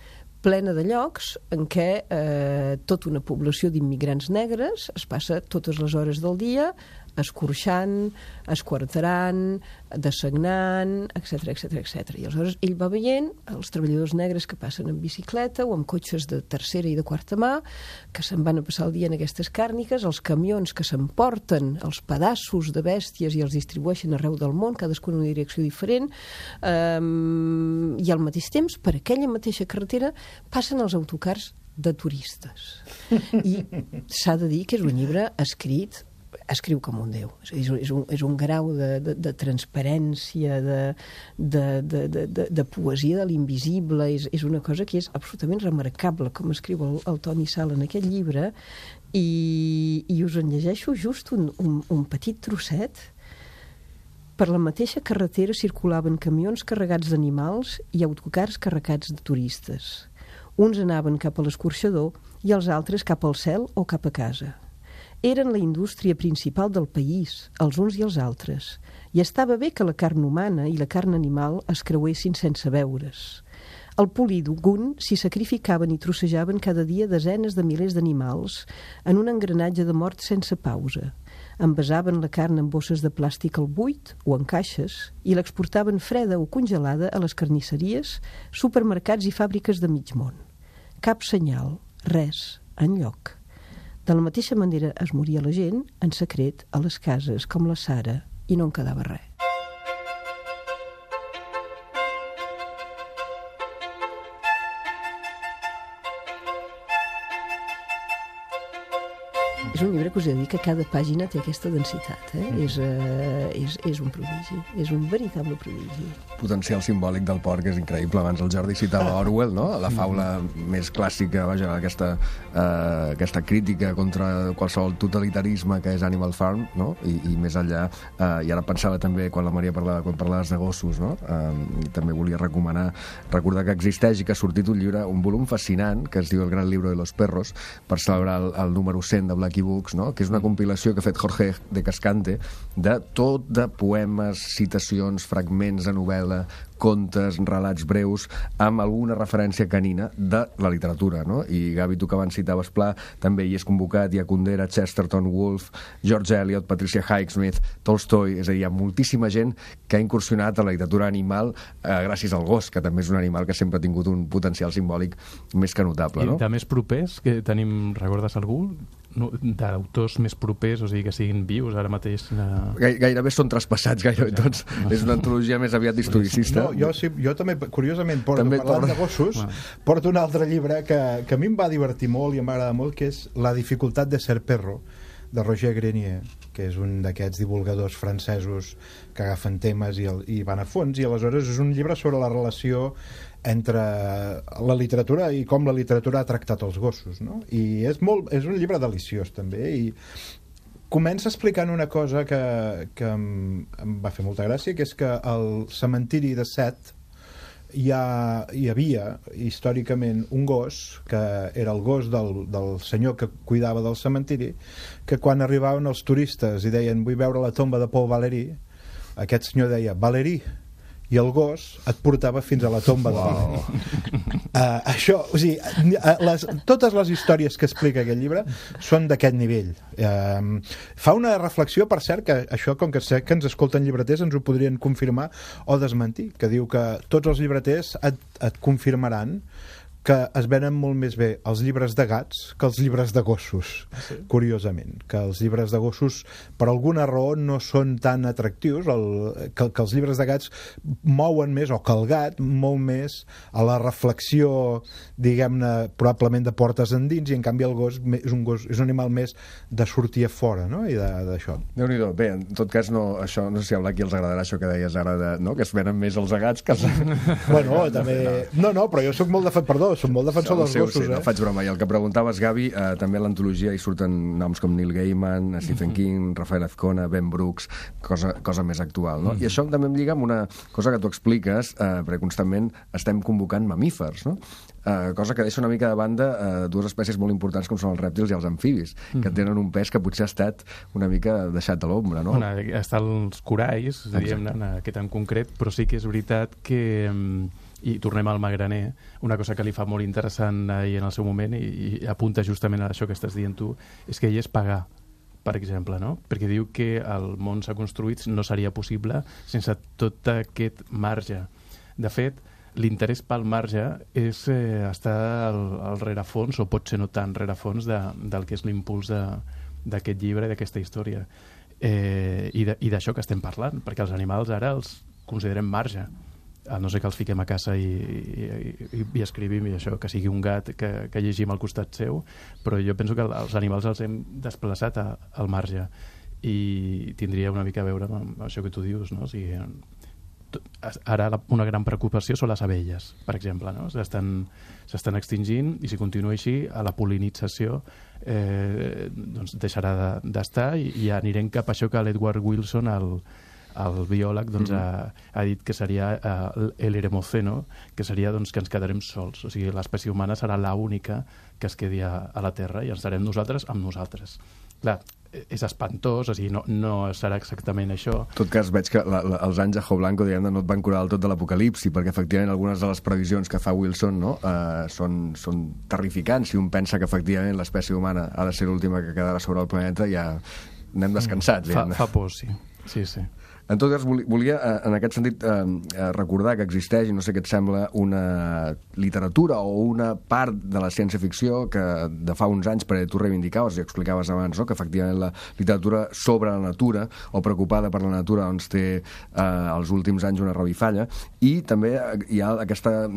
plena de llocs en què eh, tota una població d'immigrants negres es passa totes les hores del dia escorxant, esquarterant, dessagnant, etcètera, etcètera, etcètera. I aleshores ell va veient els treballadors negres que passen en bicicleta o amb cotxes de tercera i de quarta mà, que se'n van a passar el dia en aquestes càrniques, els camions que s'emporten els pedaços de bèsties i els distribueixen arreu del món, cadascun en una direcció diferent, um, i al mateix temps, per aquella mateixa carretera, passen els autocars de turistes. I s'ha de dir que és un llibre escrit escriu com un déu. És, és, un, és un grau de, de, de transparència, de, de, de, de, de, de poesia de l'invisible, és, és una cosa que és absolutament remarcable, com escriu el, el Toni Sala en aquest llibre, i, i us en llegeixo just un, un, un petit trosset. Per la mateixa carretera circulaven camions carregats d'animals i autocars carregats de turistes. Uns anaven cap a l'escorxador i els altres cap al cel o cap a casa. Eren la indústria principal del país, els uns i els altres, i estava bé que la carn humana i la carn animal es creuessin sense veure's. Al polígon s'hi sacrificaven i trossejaven cada dia desenes de milers d'animals en un engranatge de mort sense pausa. Envasaven la carn en bosses de plàstic al buit o en caixes i l'exportaven freda o congelada a les carnisseries, supermercats i fàbriques de mig món. Cap senyal, res, enlloc. De la mateixa manera es moria la gent en secret a les cases com la Sara i no en quedava res. És un llibre que us he de dir que cada pàgina té aquesta densitat, eh? Mm. És, uh, és, és un prodigi, és un veritable prodigi. Potencial simbòlic del porc és increïble. Abans el Jordi citava Orwell, no? La faula mm. més clàssica, vaja, aquesta, uh, aquesta crítica contra qualsevol totalitarisme que és Animal Farm, no? I, i més enllà, uh, i ara pensava també quan la Maria parlava, quan parlaves de gossos, no? Uh, també volia recomanar, recordar que existeix i que ha sortit un llibre, un volum fascinant, que es diu El gran libro de los perros, per celebrar el, el número cent de Blacky Books, no? Que és una compilació que ha fet Jorge de Cascante de tot de poemes, citacions, fragments de novel·la, contes, relats breus, amb alguna referència canina de la literatura, no? I Gavi, tu que abans citaves Pla, també hi és convocat, hi ha Kundera, Chesterton, Woolf, George Eliot, Patricia Highsmith, Tolstoi, és a dir, hi ha moltíssima gent que ha incursionat a la literatura animal eh, gràcies al gos, que també és un animal que sempre ha tingut un potencial simbòlic més que notable, no? I de més propers, que tenim, recordes algú? No, d'autors més propers, o sigui, que siguin vius ara mateix? Uh... Gai, gairebé són traspassats, gairebé tots. És una antologia més aviat historicista. No, jo, sí, jo també, curiosament, porto, també parlant porta... de gossos, ah. porto un altre llibre que, que a mi em va divertir molt i em va agradar molt, que és La dificultat de ser perro, de Roger Grenier, que és un d'aquests divulgadors francesos que agafen temes i, el, i van a fons, i aleshores és un llibre sobre la relació entre la literatura i com la literatura ha tractat els gossos, no? I és, molt, és un llibre deliciós també, i comença explicant una cosa que, que em, em va fer molta gràcia, que és que al cementiri de Sète hi, ha, hi havia històricament un gos que era el gos del, del senyor que cuidava del cementiri, que quan arribaven els turistes i deien vull veure la tomba de Paul Valéry, aquest senyor deia Valéry, i el gos et portava fins a la tomba wow. de Valéry. Uh, això, o sigui, les, totes les històries que explica aquest llibre són d'aquest nivell. Uh, fa una reflexió, per cert, que això, com que sé que ens escolten llibreters, ens ho podrien confirmar o desmentir, que diu que tots els llibreters et, et confirmaran que es venen molt més bé els llibres de gats que els llibres de gossos, sí. Curiosament, que els llibres de gossos per alguna raó no són tan atractius, el, que, que els llibres de gats mouen més, o que el gat mou més a la reflexió, diguem-ne, probablement de portes endins, i en canvi el gos és un, gos, és un animal més de sortir a fora, no? I d'això. Déu-n'hi-do. Bé, en tot cas, no, això, no sé si a Blacky els agradarà això que deies ara, de, no? Que es venen més els gats que els... Bueno, també... No, no, però jo sóc molt de... Perdó, som molt defensor dels gossos, sí, eh? No faig broma. I el que preguntaves, Gavi, eh, també a l'antologia hi surten noms com Neil Gaiman, Stephen mm-hmm. King, Rafael Azcona, Ben Brooks, cosa, cosa més actual, no? Mm-hmm. I això també em lliga amb una cosa que tu expliques, eh, perquè constantment estem convocant mamífers, no? Eh, cosa que deixa una mica de banda eh, dues espècies molt importants com són els rèptils i els amfibis, mm-hmm. que tenen un pes que potser ha estat una mica deixat a l'ombra, no? Bueno, estan els coralls, diríem, en aquest en concret, però sí que és veritat que... I tornem al Magraner, una cosa que li fa molt interessant ahir en el seu moment i, i apunta justament a això que estàs dient tu, és que ell és pagar, per exemple, no? Perquè diu que el món s'ha construït, no seria possible sense tot aquest marge. De fet, l'interès pel marge és eh, estar al, al rerefons, o pot ser no tant rerefons, de, del que és l'impuls d'aquest llibre i d'aquesta història. Eh, I d'això que estem parlant, perquè els animals ara els considerem marge, a no ser que els fiquem a casa i, i, i escrivim i això, que sigui un gat que, que llegim al costat seu, però jo penso que els animals els hem desplaçat a, al marge. i tindria una mica a veure amb això que tu dius, no? O sigui, ara una gran preocupació són les abelles, per exemple, no? S'estan, s'estan extingint i si continua així, a la pol·linització eh, doncs deixarà d'estar i, i anirem cap a això que l'Edward Wilson, el, el biòleg, doncs, mm -hmm. ha, ha dit que seria uh, l'eremoceno, que seria doncs, que ens quedarem sols. O sigui, l'espècie humana serà l'única que es quedi a, a la Terra i ens serem nosaltres amb nosaltres. Clar, és espantós, o sigui, no, no serà exactament això. En tot cas, veig que la, la, els anys de Jo Blanco, diguem, no et van curar del tot de l'apocalipsi, perquè efectivament algunes de les previsions que fa Wilson, no, uh, són, són terrificants. Si un pensa que efectivament l'espècie humana ha de ser l'última que quedarà sobre el planeta, ja anem descansats. Fa, fa por, sí. Sí, sí. En tot cas, volia, en aquest sentit, eh, recordar que existeix, i no sé què et sembla, una literatura o una part de la ciència-ficció que de fa uns anys, perquè tu reivindicaves i explicaves abans, no?, que efectivament la literatura sobre la natura o preocupada per la natura doncs, té eh, els últims anys una revifalla, i també hi ha aquesta,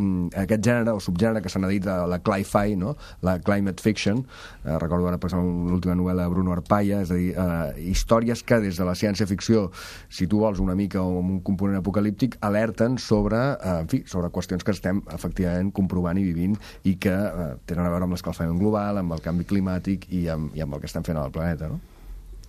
aquest gènere o subgènere que se n'ha dit la cli-fi, no?, la climate fiction. Eh, recordo ara, per exemple, l'última novel·la de Bruno Arpaia, és a dir, eh, històries que des de la ciència-ficció, si tu vols una mica o amb un component apocalíptic, alerten sobre, eh, en fi, sobre qüestions que estem efectivament comprovant i vivint i que eh, tenen a veure amb l'escalfament global, amb el canvi climàtic i amb, i amb el que estem fent al planeta, no?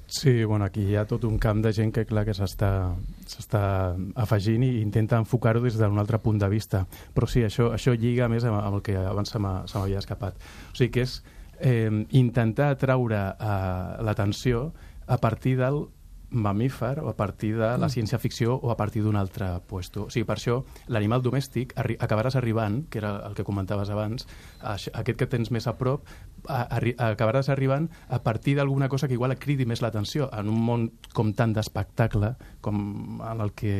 Sí, bueno, aquí hi ha tot un camp de gent que, clar, que s'està s'està afegint i intenta enfocar-ho des d'un altre punt de vista. Però sí, això, això lliga més amb, amb el que abans se m'havia escapat. O sigui, que és eh, intentar atraure eh, l'atenció a partir del mamífer o a partir de la ciència-ficció o a partir d'un altre puesto. O sigui, per això l'animal domèstic arri acabaràs arribant, que era el que comentaves abans, a aquest que tens més a prop, a, a, acabaràs arribant a partir d'alguna cosa que igual et cridi més l'atenció en un món com tant d'espectacle com en el que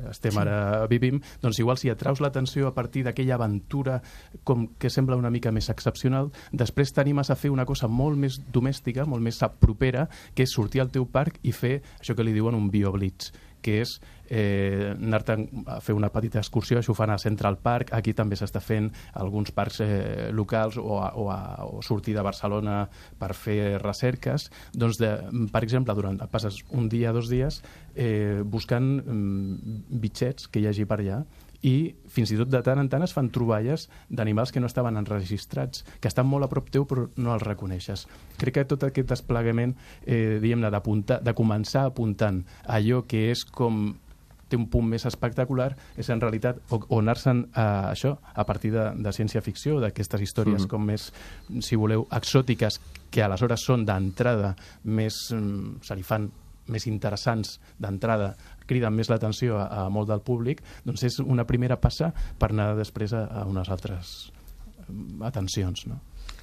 estem sí. ara vivim, doncs igual si atraus l'atenció a partir d'aquella aventura com que sembla una mica més excepcional, després t'animes a fer una cosa molt més domèstica, molt més propera, que és sortir al teu parc i fer això que li diuen un bioblitz, que és eh, anar-te'n a fer una petita excursió. Això ho fan a Central Park, aquí també s'està fent alguns parcs eh, locals o, a, o, a, o sortir de Barcelona per fer recerques. Doncs, de, per exemple, durant passes un dia, dos dies, eh, buscant mm, bitxets que hi hagi per allà, i fins i tot de tant en tant es fan troballes d'animals que no estaven enregistrats, que estan molt a prop teu però no els reconeixes. Crec que tot aquest desplegament, eh, diguem-ne, de començar apuntant allò que és com té un punt més espectacular, és en realitat o, o anar-se'n a això, a partir de, de ciència-ficció, d'aquestes històries mm-hmm. com més, si voleu, exòtiques, que aleshores són d'entrada més, se li fan més interessants d'entrada, criden més l'atenció a, a molt del públic, doncs és una primera passa per anar després a, a unes altres atencions, no?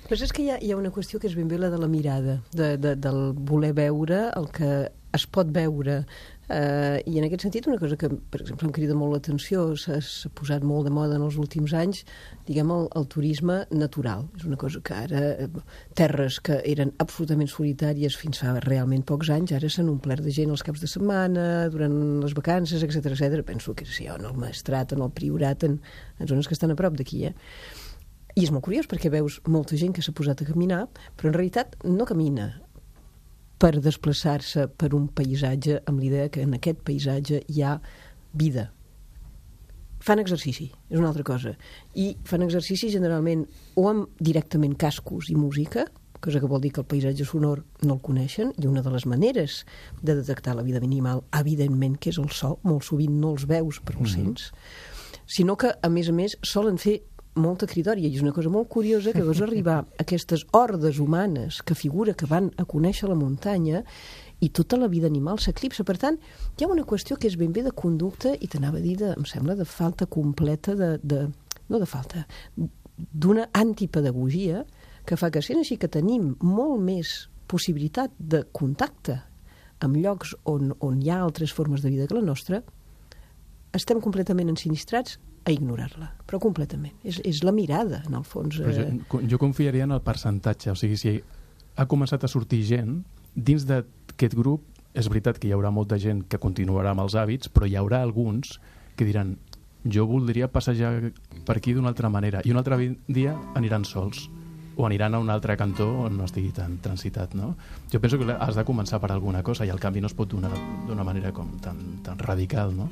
Però és que hi ha, hi ha una qüestió que és ben bé la de la mirada, de, de, del voler veure el que es pot veure. Uh, I en aquest sentit, una cosa que, per exemple, em crida molt l'atenció, s'ha posat molt de moda en els últims anys, diguem, el, el turisme natural. És una cosa que ara, terres que eren absolutament solitàries fins fa realment pocs anys, ara s'han omplert de gent els caps de setmana, durant les vacances, etcètera etcètera. Penso que sí, en el Maestrat, en el Priorat, en, en zones que estan a prop d'aquí, eh? I és molt curiós perquè veus molta gent que s'ha posat a caminar, però en realitat no camina per desplaçar-se per un paisatge amb l'idea que en aquest paisatge hi ha vida. Fan exercici, és una altra cosa. I fan exercici generalment o amb directament cascos i música, cosa que vol dir que el paisatge sonor no el coneixen, i una de les maneres de detectar la vida animal, evidentment, que és el so, molt sovint no els veus però els sents, sinó que, a més a més, solen fer molta cridòria, i és una cosa molt curiosa que veus arribar a aquestes hordes humanes que figura que van a conèixer la muntanya i tota la vida animal s'eclipsa. Per tant, hi ha una qüestió que és ben bé de conducta i t'anava a dir, de, em sembla, de falta completa de, de no de falta, d'una antipedagogia que fa que, sent així que tenim molt més possibilitat de contacte amb llocs on, on hi ha altres formes de vida que la nostra, estem completament ensinistrats a ignorar-la, però completament. És, és la mirada, en el fons. Eh... Jo, jo confiaria en el percentatge, o sigui, si ha començat a sortir gent, dins d'aquest grup, és veritat que hi haurà molta gent que continuarà amb els hàbits, però hi haurà alguns que diran, jo voldria passejar per aquí d'una altra manera, i un altre dia aniran sols. o aniran a un altre cantó on no estigui tan transitat, no? Jo penso que has de començar per alguna cosa i el canvi no es pot donar d'una manera com tan, tan radical, no?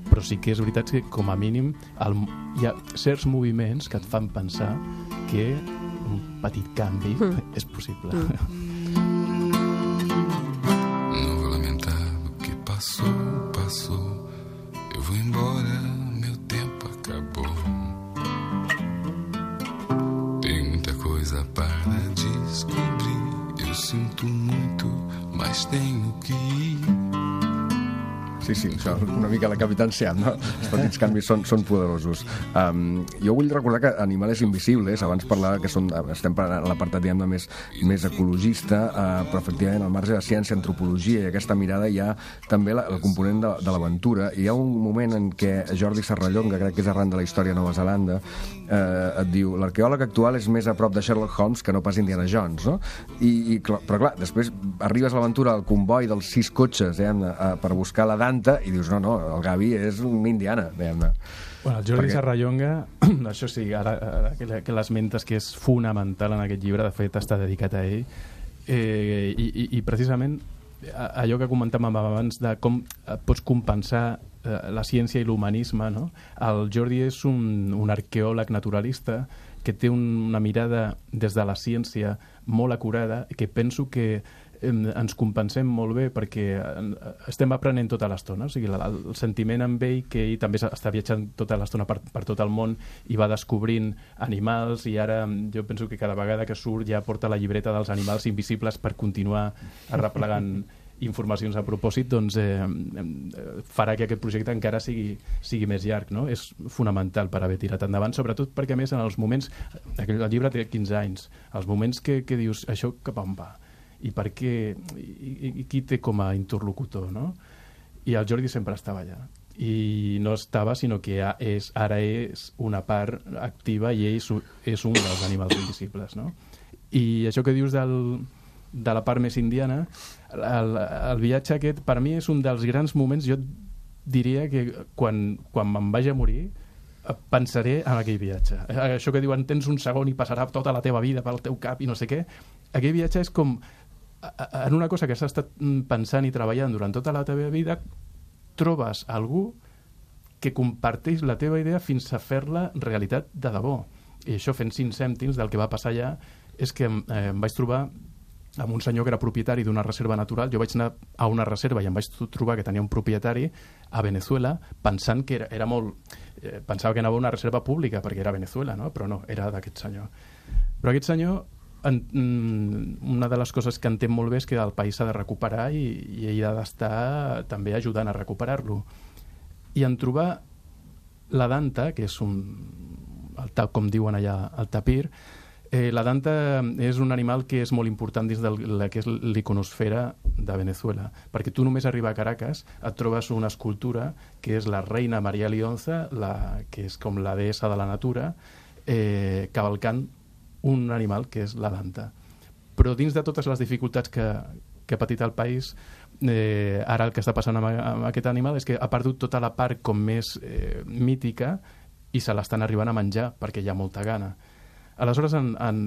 Però sí que és veritat que com a mínim el, hi ha certs moviments que et fan pensar que un petit canvi mm. és possible. Mm. Não vou lamentar o que passou, passou. Eu vou embora, meu tempo acabou. Para descobrir, eu sinto muito, mas tenho que ir. Sí, sí, això és una mica la Capitán Seat, no? Els petits canvis són, són poderosos. Um, jo vull recordar que Animales Invisibles, abans parlava que són, estem parlant a l'apartat, diguem-ne, més, més ecologista, uh, però efectivament al marge de ciència, antropologia i aquesta mirada hi ha també la, el component de, de l'aventura. Hi ha un moment en què Jordi Serrallonga, crec que és arran de la història a Nova Zelanda, eh, et diu, l'arqueòleg actual és més a prop de Sherlock Holmes que no pas Indiana Jones, no? I, i, però clar, després arribes a l'aventura al comboi dels sis cotxes, diguem-ne, uh, per buscar la Danta, i dius, no, no, el Gavi és un Indiana, diguem-ne. Bueno, el Jordi Perquè... Serrallonga, això sí, ara, ara que, que l'esmentes, que és fonamental en aquest llibre, de fet està dedicat a ell, eh, i, i, i precisament allò que comentàvem abans de com pots compensar eh, la ciència i l'humanisme, no? El Jordi és un, un arqueòleg naturalista que té un, una mirada des de la ciència molt acurada, que penso que ens compensem molt bé perquè estem aprenent tota l'estona, o sigui, el, el sentiment amb ell, que ell també està viatjant tota l'estona per, per tot el món i va descobrint animals, i ara jo penso que cada vegada que surt ja porta la llibreta dels animals invisibles per continuar arreplegant informacions a propòsit, doncs eh, farà que aquest projecte encara sigui, sigui més llarg, no? És fonamental per haver tirat endavant, sobretot perquè a més en els moments, el llibre té quinze anys, els moments que, que dius això cap on va? I per què, i, i qui té com a interlocutor, no? I el Jordi sempre estava allà. I no estava, sinó que ja és, ara és una part activa i ell és un dels animals invisibles, no? I això que dius del, de la part més indiana, el, el viatge aquest, per mi és un dels grans moments, jo diria que quan, quan me'n vaig a morir, pensaré en aquell viatge. Això que diuen, tens un segon i passarà tota la teva vida pel teu cap i no sé què. Aquell viatge és com en una cosa que has estat pensant i treballant durant tota la teva vida, trobes algú que comparteix la teva idea fins a fer-la realitat de debò. I això, fent cinc cèntims del que va passar allà, és que eh, em vaig trobar amb un senyor que era propietari d'una reserva natural. Jo vaig anar a una reserva i em vaig trobar que tenia un propietari a Venezuela, pensant que era, era molt... Eh, pensava que anava a una reserva pública perquè era Venezuela, no? Però no, era d'aquest senyor. Però aquest senyor, en, una de les coses que entén molt bé és que el país s'ha de recuperar i, i ell ha d'estar també ajudant a recuperar-lo. I en trobar la Danta, que és un... El, com diuen allà, el tapir, Eh, la Danta és un animal que és molt important dins de la que és l'iconosfera de Venezuela, perquè tu només arribar a Caracas et trobes una escultura que és la reina Maria Lionza, la, que és com la deessa de la natura, eh, cavalcant un animal que és la Danta. Però dins de totes les dificultats que, que ha patit el país, eh, ara el que està passant amb, amb aquest animal és que ha perdut tota la part com més eh, mítica i se l'estan arribant a menjar perquè hi ha molta gana. Aleshores, en, en,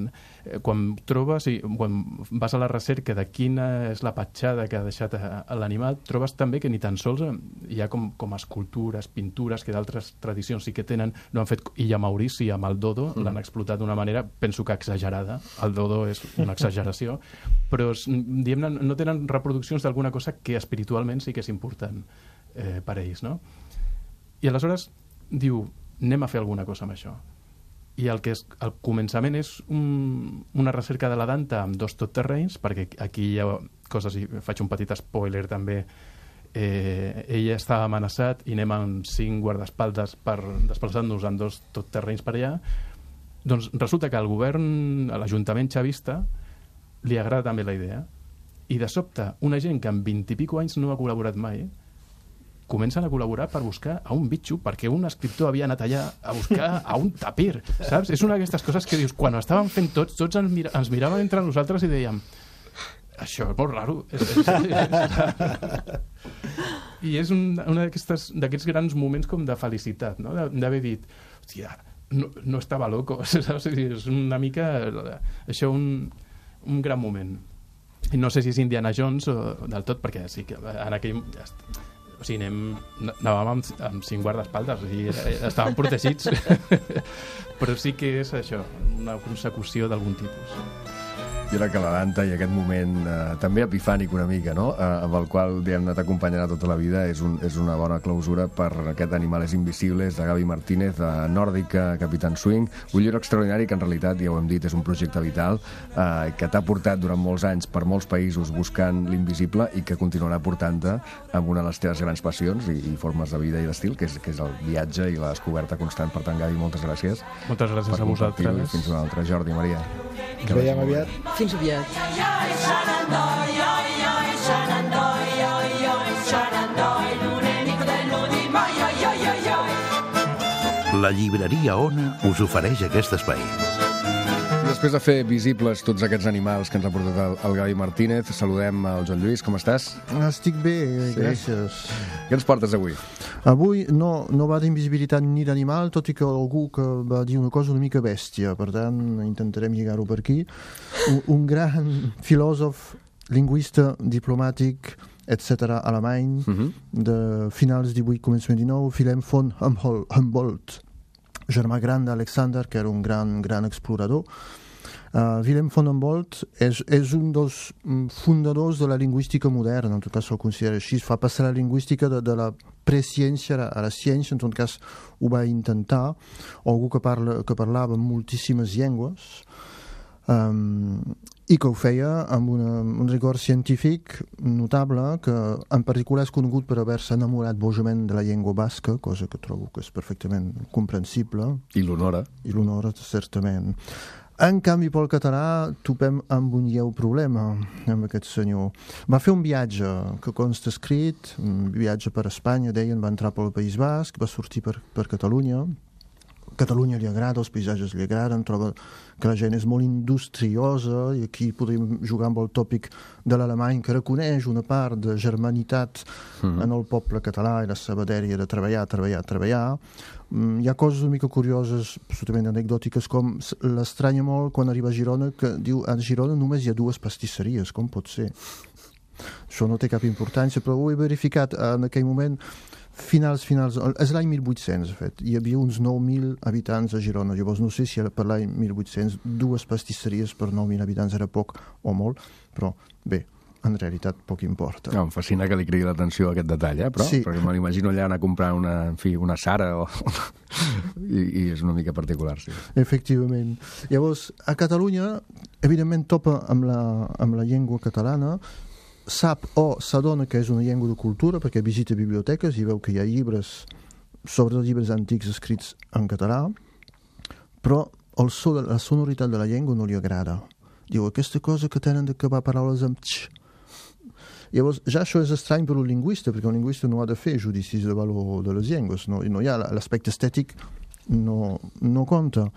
quan trobes, i quan vas a la recerca de quina és la petjada que ha deixat a, a l'animal, trobes també que ni tan sols hi ha com, com escultures, pintures, que d'altres tradicions sí que tenen, no han fet Illa Maurici amb el dodo, mm. l'han explotat d'una manera, penso que exagerada, el dodo és una exageració, però diguem-ne, no tenen reproduccions d'alguna cosa que espiritualment sí que és important eh, per ells, no? I aleshores diu, anem a fer alguna cosa amb això. I el que és, el començament és un, una recerca de la Danta amb dos totterrenys, perquè aquí hi ha coses, i faig un petit spoiler també, eh, ella està amenaçat i anem amb cinc guardaespaldes per desplaçar-nos en dos totterrenys per allà. Doncs resulta que al govern, a l'Ajuntament xavista, li agrada també la idea, i de sobte una gent que en vint i pico anys no ha col·laborat mai comencen a col·laborar per buscar a un bitxo, perquè un escriptor havia anat allà a buscar a un tapir, saps? És una d'aquestes coses que dius, quan ho estàvem fent tots, tots ens, mira, ens miràvem entre nosaltres i dèiem, això és molt raro. I és un, un d'aquests grans moments com de felicitat, no? D'haver dit, hòstia, no, no estava loco, saps? És una mica això un, un gran moment. I no sé si és Indiana Jones o del tot, perquè sí que en aquell... O sigui, anem, anàvem amb, amb cinc guardaespaldes, o sigui, estàvem protegits, però sí que és això, una consecució d'algun tipus. I ara que la Danta i aquest moment eh, també epifànic una mica, no? Eh, amb el qual diguem-ne t'acompanyarà tota la vida, és, un, és una bona clausura per aquest Animales Invisibles de Gaby Martínez, de Nòrdica, Capitán Swing, un llibre extraordinari que en realitat, ja ho hem dit, és un projecte vital eh, que t'ha portat durant molts anys per molts països buscant l'invisible i que continuarà portant-te amb una de les teves grans passions i, i formes de vida i d'estil, que és, que és el viatge i la descoberta constant. Per tant, Gaby, moltes gràcies. Moltes gràcies a vosaltres. Fins una altra. Jordi, Maria. Ens veiem aviat. Fins aviat. La llibreria Ona us ofereix aquest espai. Després de fer visibles tots aquests animals que ens ha portat el, el Gaby Martínez, saludem el Joan Lluís. Com estàs? Estic bé, Sí. gràcies. Què ens portes avui? Avui no, no va d'invisibilitat ni d'animal, tot i que algú que va dir una cosa una mica bèstia, per tant intentarem lligar-ho per aquí. Un, un gran filòsof, lingüista, diplomàtic, etcètera, alemany, Uh-huh. de finals divuit, començament dinou, Wilhelm von Humboldt, germà gran d'Alexander, que era un gran, gran explorador. Uh, Wilhelm von Humboldt és, és un dels fundadors de la lingüística moderna, en tot cas se'l considera així, fa passar la lingüística de, de la presciència a la, a la ciència, en tot cas ho va intentar, o algú que, parla, que parlava moltíssimes llengües, um, i que ho feia amb una, un rigor científic notable, que en particular és conegut per haver-se enamorat bojament de la llengua basca, cosa que trobo que és perfectament comprensible. I l'honora. I l'honora, certament. En canvi, pel català, topem amb un lleu problema amb aquest senyor. Va fer un viatge que consta escrit, un viatge per Espanya, deien, va entrar pel País Basc, va sortir per, per Catalunya. Catalunya li agrada, els paisatges li agraden, troba que la gent és molt industriosa, i aquí podríem jugar amb el tòpic de l'alemany, que reconeix una part de germanitat mm. en el poble català i la seva dèria de treballar, treballar, treballar. Mm, hi ha coses una mica curioses, absolutament anecdòtiques, com l'estranya molt quan arriba a Girona, que diu, a Girona només hi ha dues pastisseries, com pot ser? Això no té cap importància, però ho he verificat en aquell moment. Finals, finals, és l'any mil vuit-cents, de fet. Hi havia uns nou mil habitants a Girona. Llavors no sé si per l'any mil vuit-cents dues pastisseries per nou mil habitants era poc o molt, però bé, en realitat poc importa. No, em fascina que li cridi l'atenció a aquest detall, eh? Però, sí. Perquè me l'imagino allà anar a comprar una, en fi, una Sara o... I, i és una mica particular, sí. Efectivament. Llavors, a Catalunya, evidentment topa amb la, amb la llengua catalana, sap o s'adona que és una llengua de cultura perquè visita biblioteques i veu que hi ha llibres, sobretot llibres antics escrits en català, però el so de, la sonoritat de la llengua no li agrada. Diu, aquesta cosa que tenen d'acabar paraules amb tx. Llavors, ja això és estrany per un lingüista, perquè un lingüista no ha de fer judicis de valor de les llengües, no, no hi ha l'aspecte estètic, no, no compta.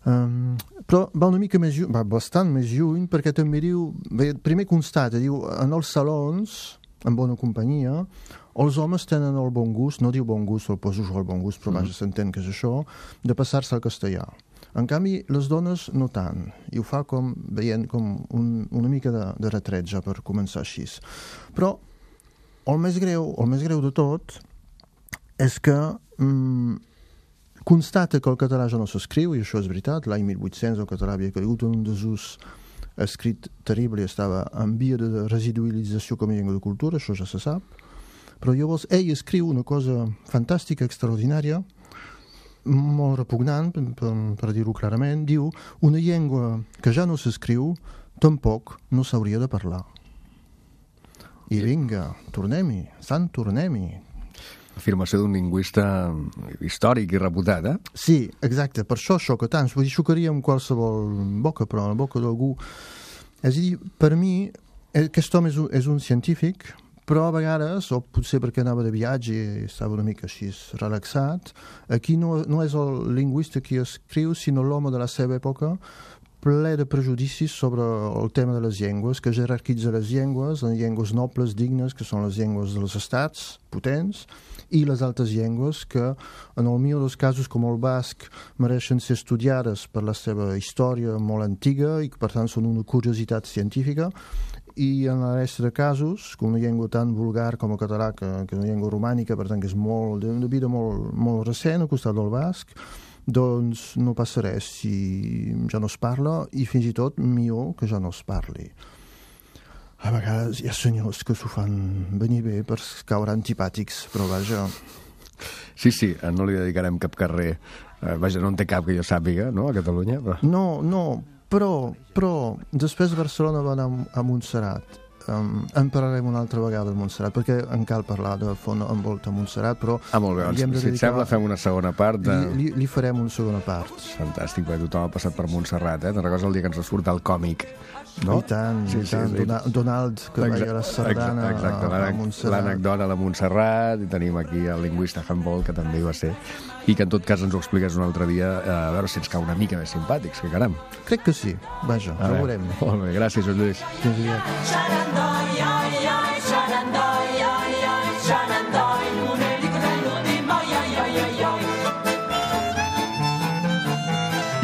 Um, però va una mica més lluny, va bastant més lluny, perquè també diu, bé, primer constata, diu, en els salons, en bona companyia, els homes tenen el bon gust, no diu bon gust, el poso jo el bon gust, però vaja, s'entén que és això, de passar-se al castellà. En canvi, les dones no tant, i ho fa com, veient com un, una mica de, de retret ja per començar així. Però el més greu, el més greu de tot és que mm, constata que el català ja no s'escriu, i això és veritat, l'any mil vuit-cents el català havia caigut en un desús escrit terrible i estava en via de residualització com a llengua de cultura, això ja se sap, però llavors ell escriu una cosa fantàstica, extraordinària, molt repugnant, per, per dir-ho clarament, diu, una llengua que ja no s'escriu, tampoc no s'hauria de parlar. I vinga, tornem-hi, sant, tornem-hi. Afirmació d'un lingüista històric i reputat, eh? Sí, exacte, per això xoca tant. Vull dir, xocaria amb qualsevol boca, però en la boca d'algú... És a dir, per mi, aquest home és un, és un científic, però a vegades, o potser perquè anava de viatge i estava una mica així relaxat, aquí no, no és el lingüista qui escriu, sinó l'home de la seva època, ple de prejudicis sobre el tema de les llengües, que jerarquitza les llengües en llengües nobles, dignes, que són les llengües dels estats potents, i les altres llengües que, en el millor dels casos, com el basc, mereixen ser estudiades per la seva història molt antiga i que, per tant, són una curiositat científica, i en la resta de casos, com una llengua tan vulgar com el català, que, que és una llengua romànica, per tant, que és molt, d'una vida molt, molt recent al costat del basc, doncs no passa res si ja no es parla, i fins i tot millor que ja no es parli. A vegades hi ha senyors que s'ho fan venir bé per caure antipàtics, però vaja... Sí, sí, no li dedicarem cap carrer. Eh, vaja, no en té cap que jo sàpiga, no?, a Catalunya. Però... No, no, però, però després Barcelona va anar a Montserrat. Um, en parlarem una altra vegada de Montserrat, perquè en cal parlar de font en volta a Montserrat, però... Ah, molt bé, doncs, si dedicar... et sembla fem una segona part de... Li, li, li farem una segona part. Fantàstic, perquè tothom ha passat per Montserrat, eh? Te'n recordes el dia que ens va surt el còmic, no? I tant, sí, i tant. sí, sí. Donald, que exacte, veia la sardana exacte, a, a Montserrat. L'anecdota a la Montserrat, i tenim aquí el lingüista Humboldt, que també hi va ser, i que en tot cas ens ho expliques un altre dia, a veure si ens cau una mica més simpàtics, que caram. Crec que sí, vaja, ho veurem. Molt bé, gràcies, Joan Lluís. Fins aviat.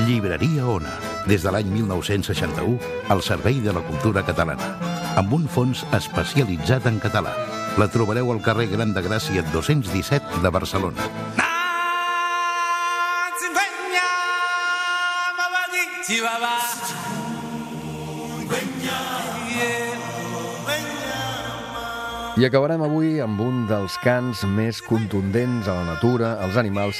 Llibreria Ona, des de l'any mil nou-cents seixanta-u, al servei de la cultura catalana, amb un fons especialitzat en català. La trobareu al carrer Gran de Gràcia dos-cents disset de Barcelona. I acabarem avui amb un dels cants més contundents a la natura, als animals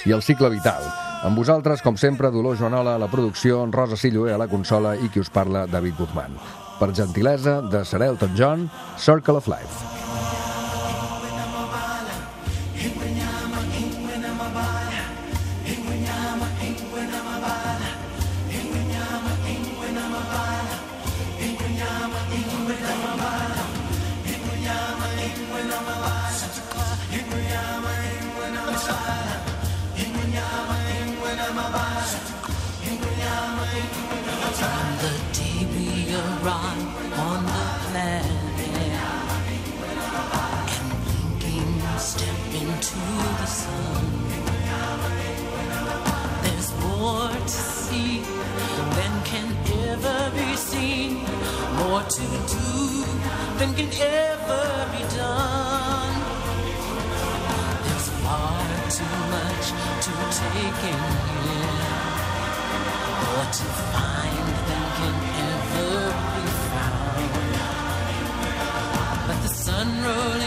i al cicle vital. Amb vosaltres, com sempre, Dolors Joanola a la producció, Rosa Silloé a la consola i qui us parla, David Guzmán. Per gentilesa de Sir Elton John, Circle of Life. More to do than can ever be done. There's far too much to take in here, more to find than can ever be found. But the sun rose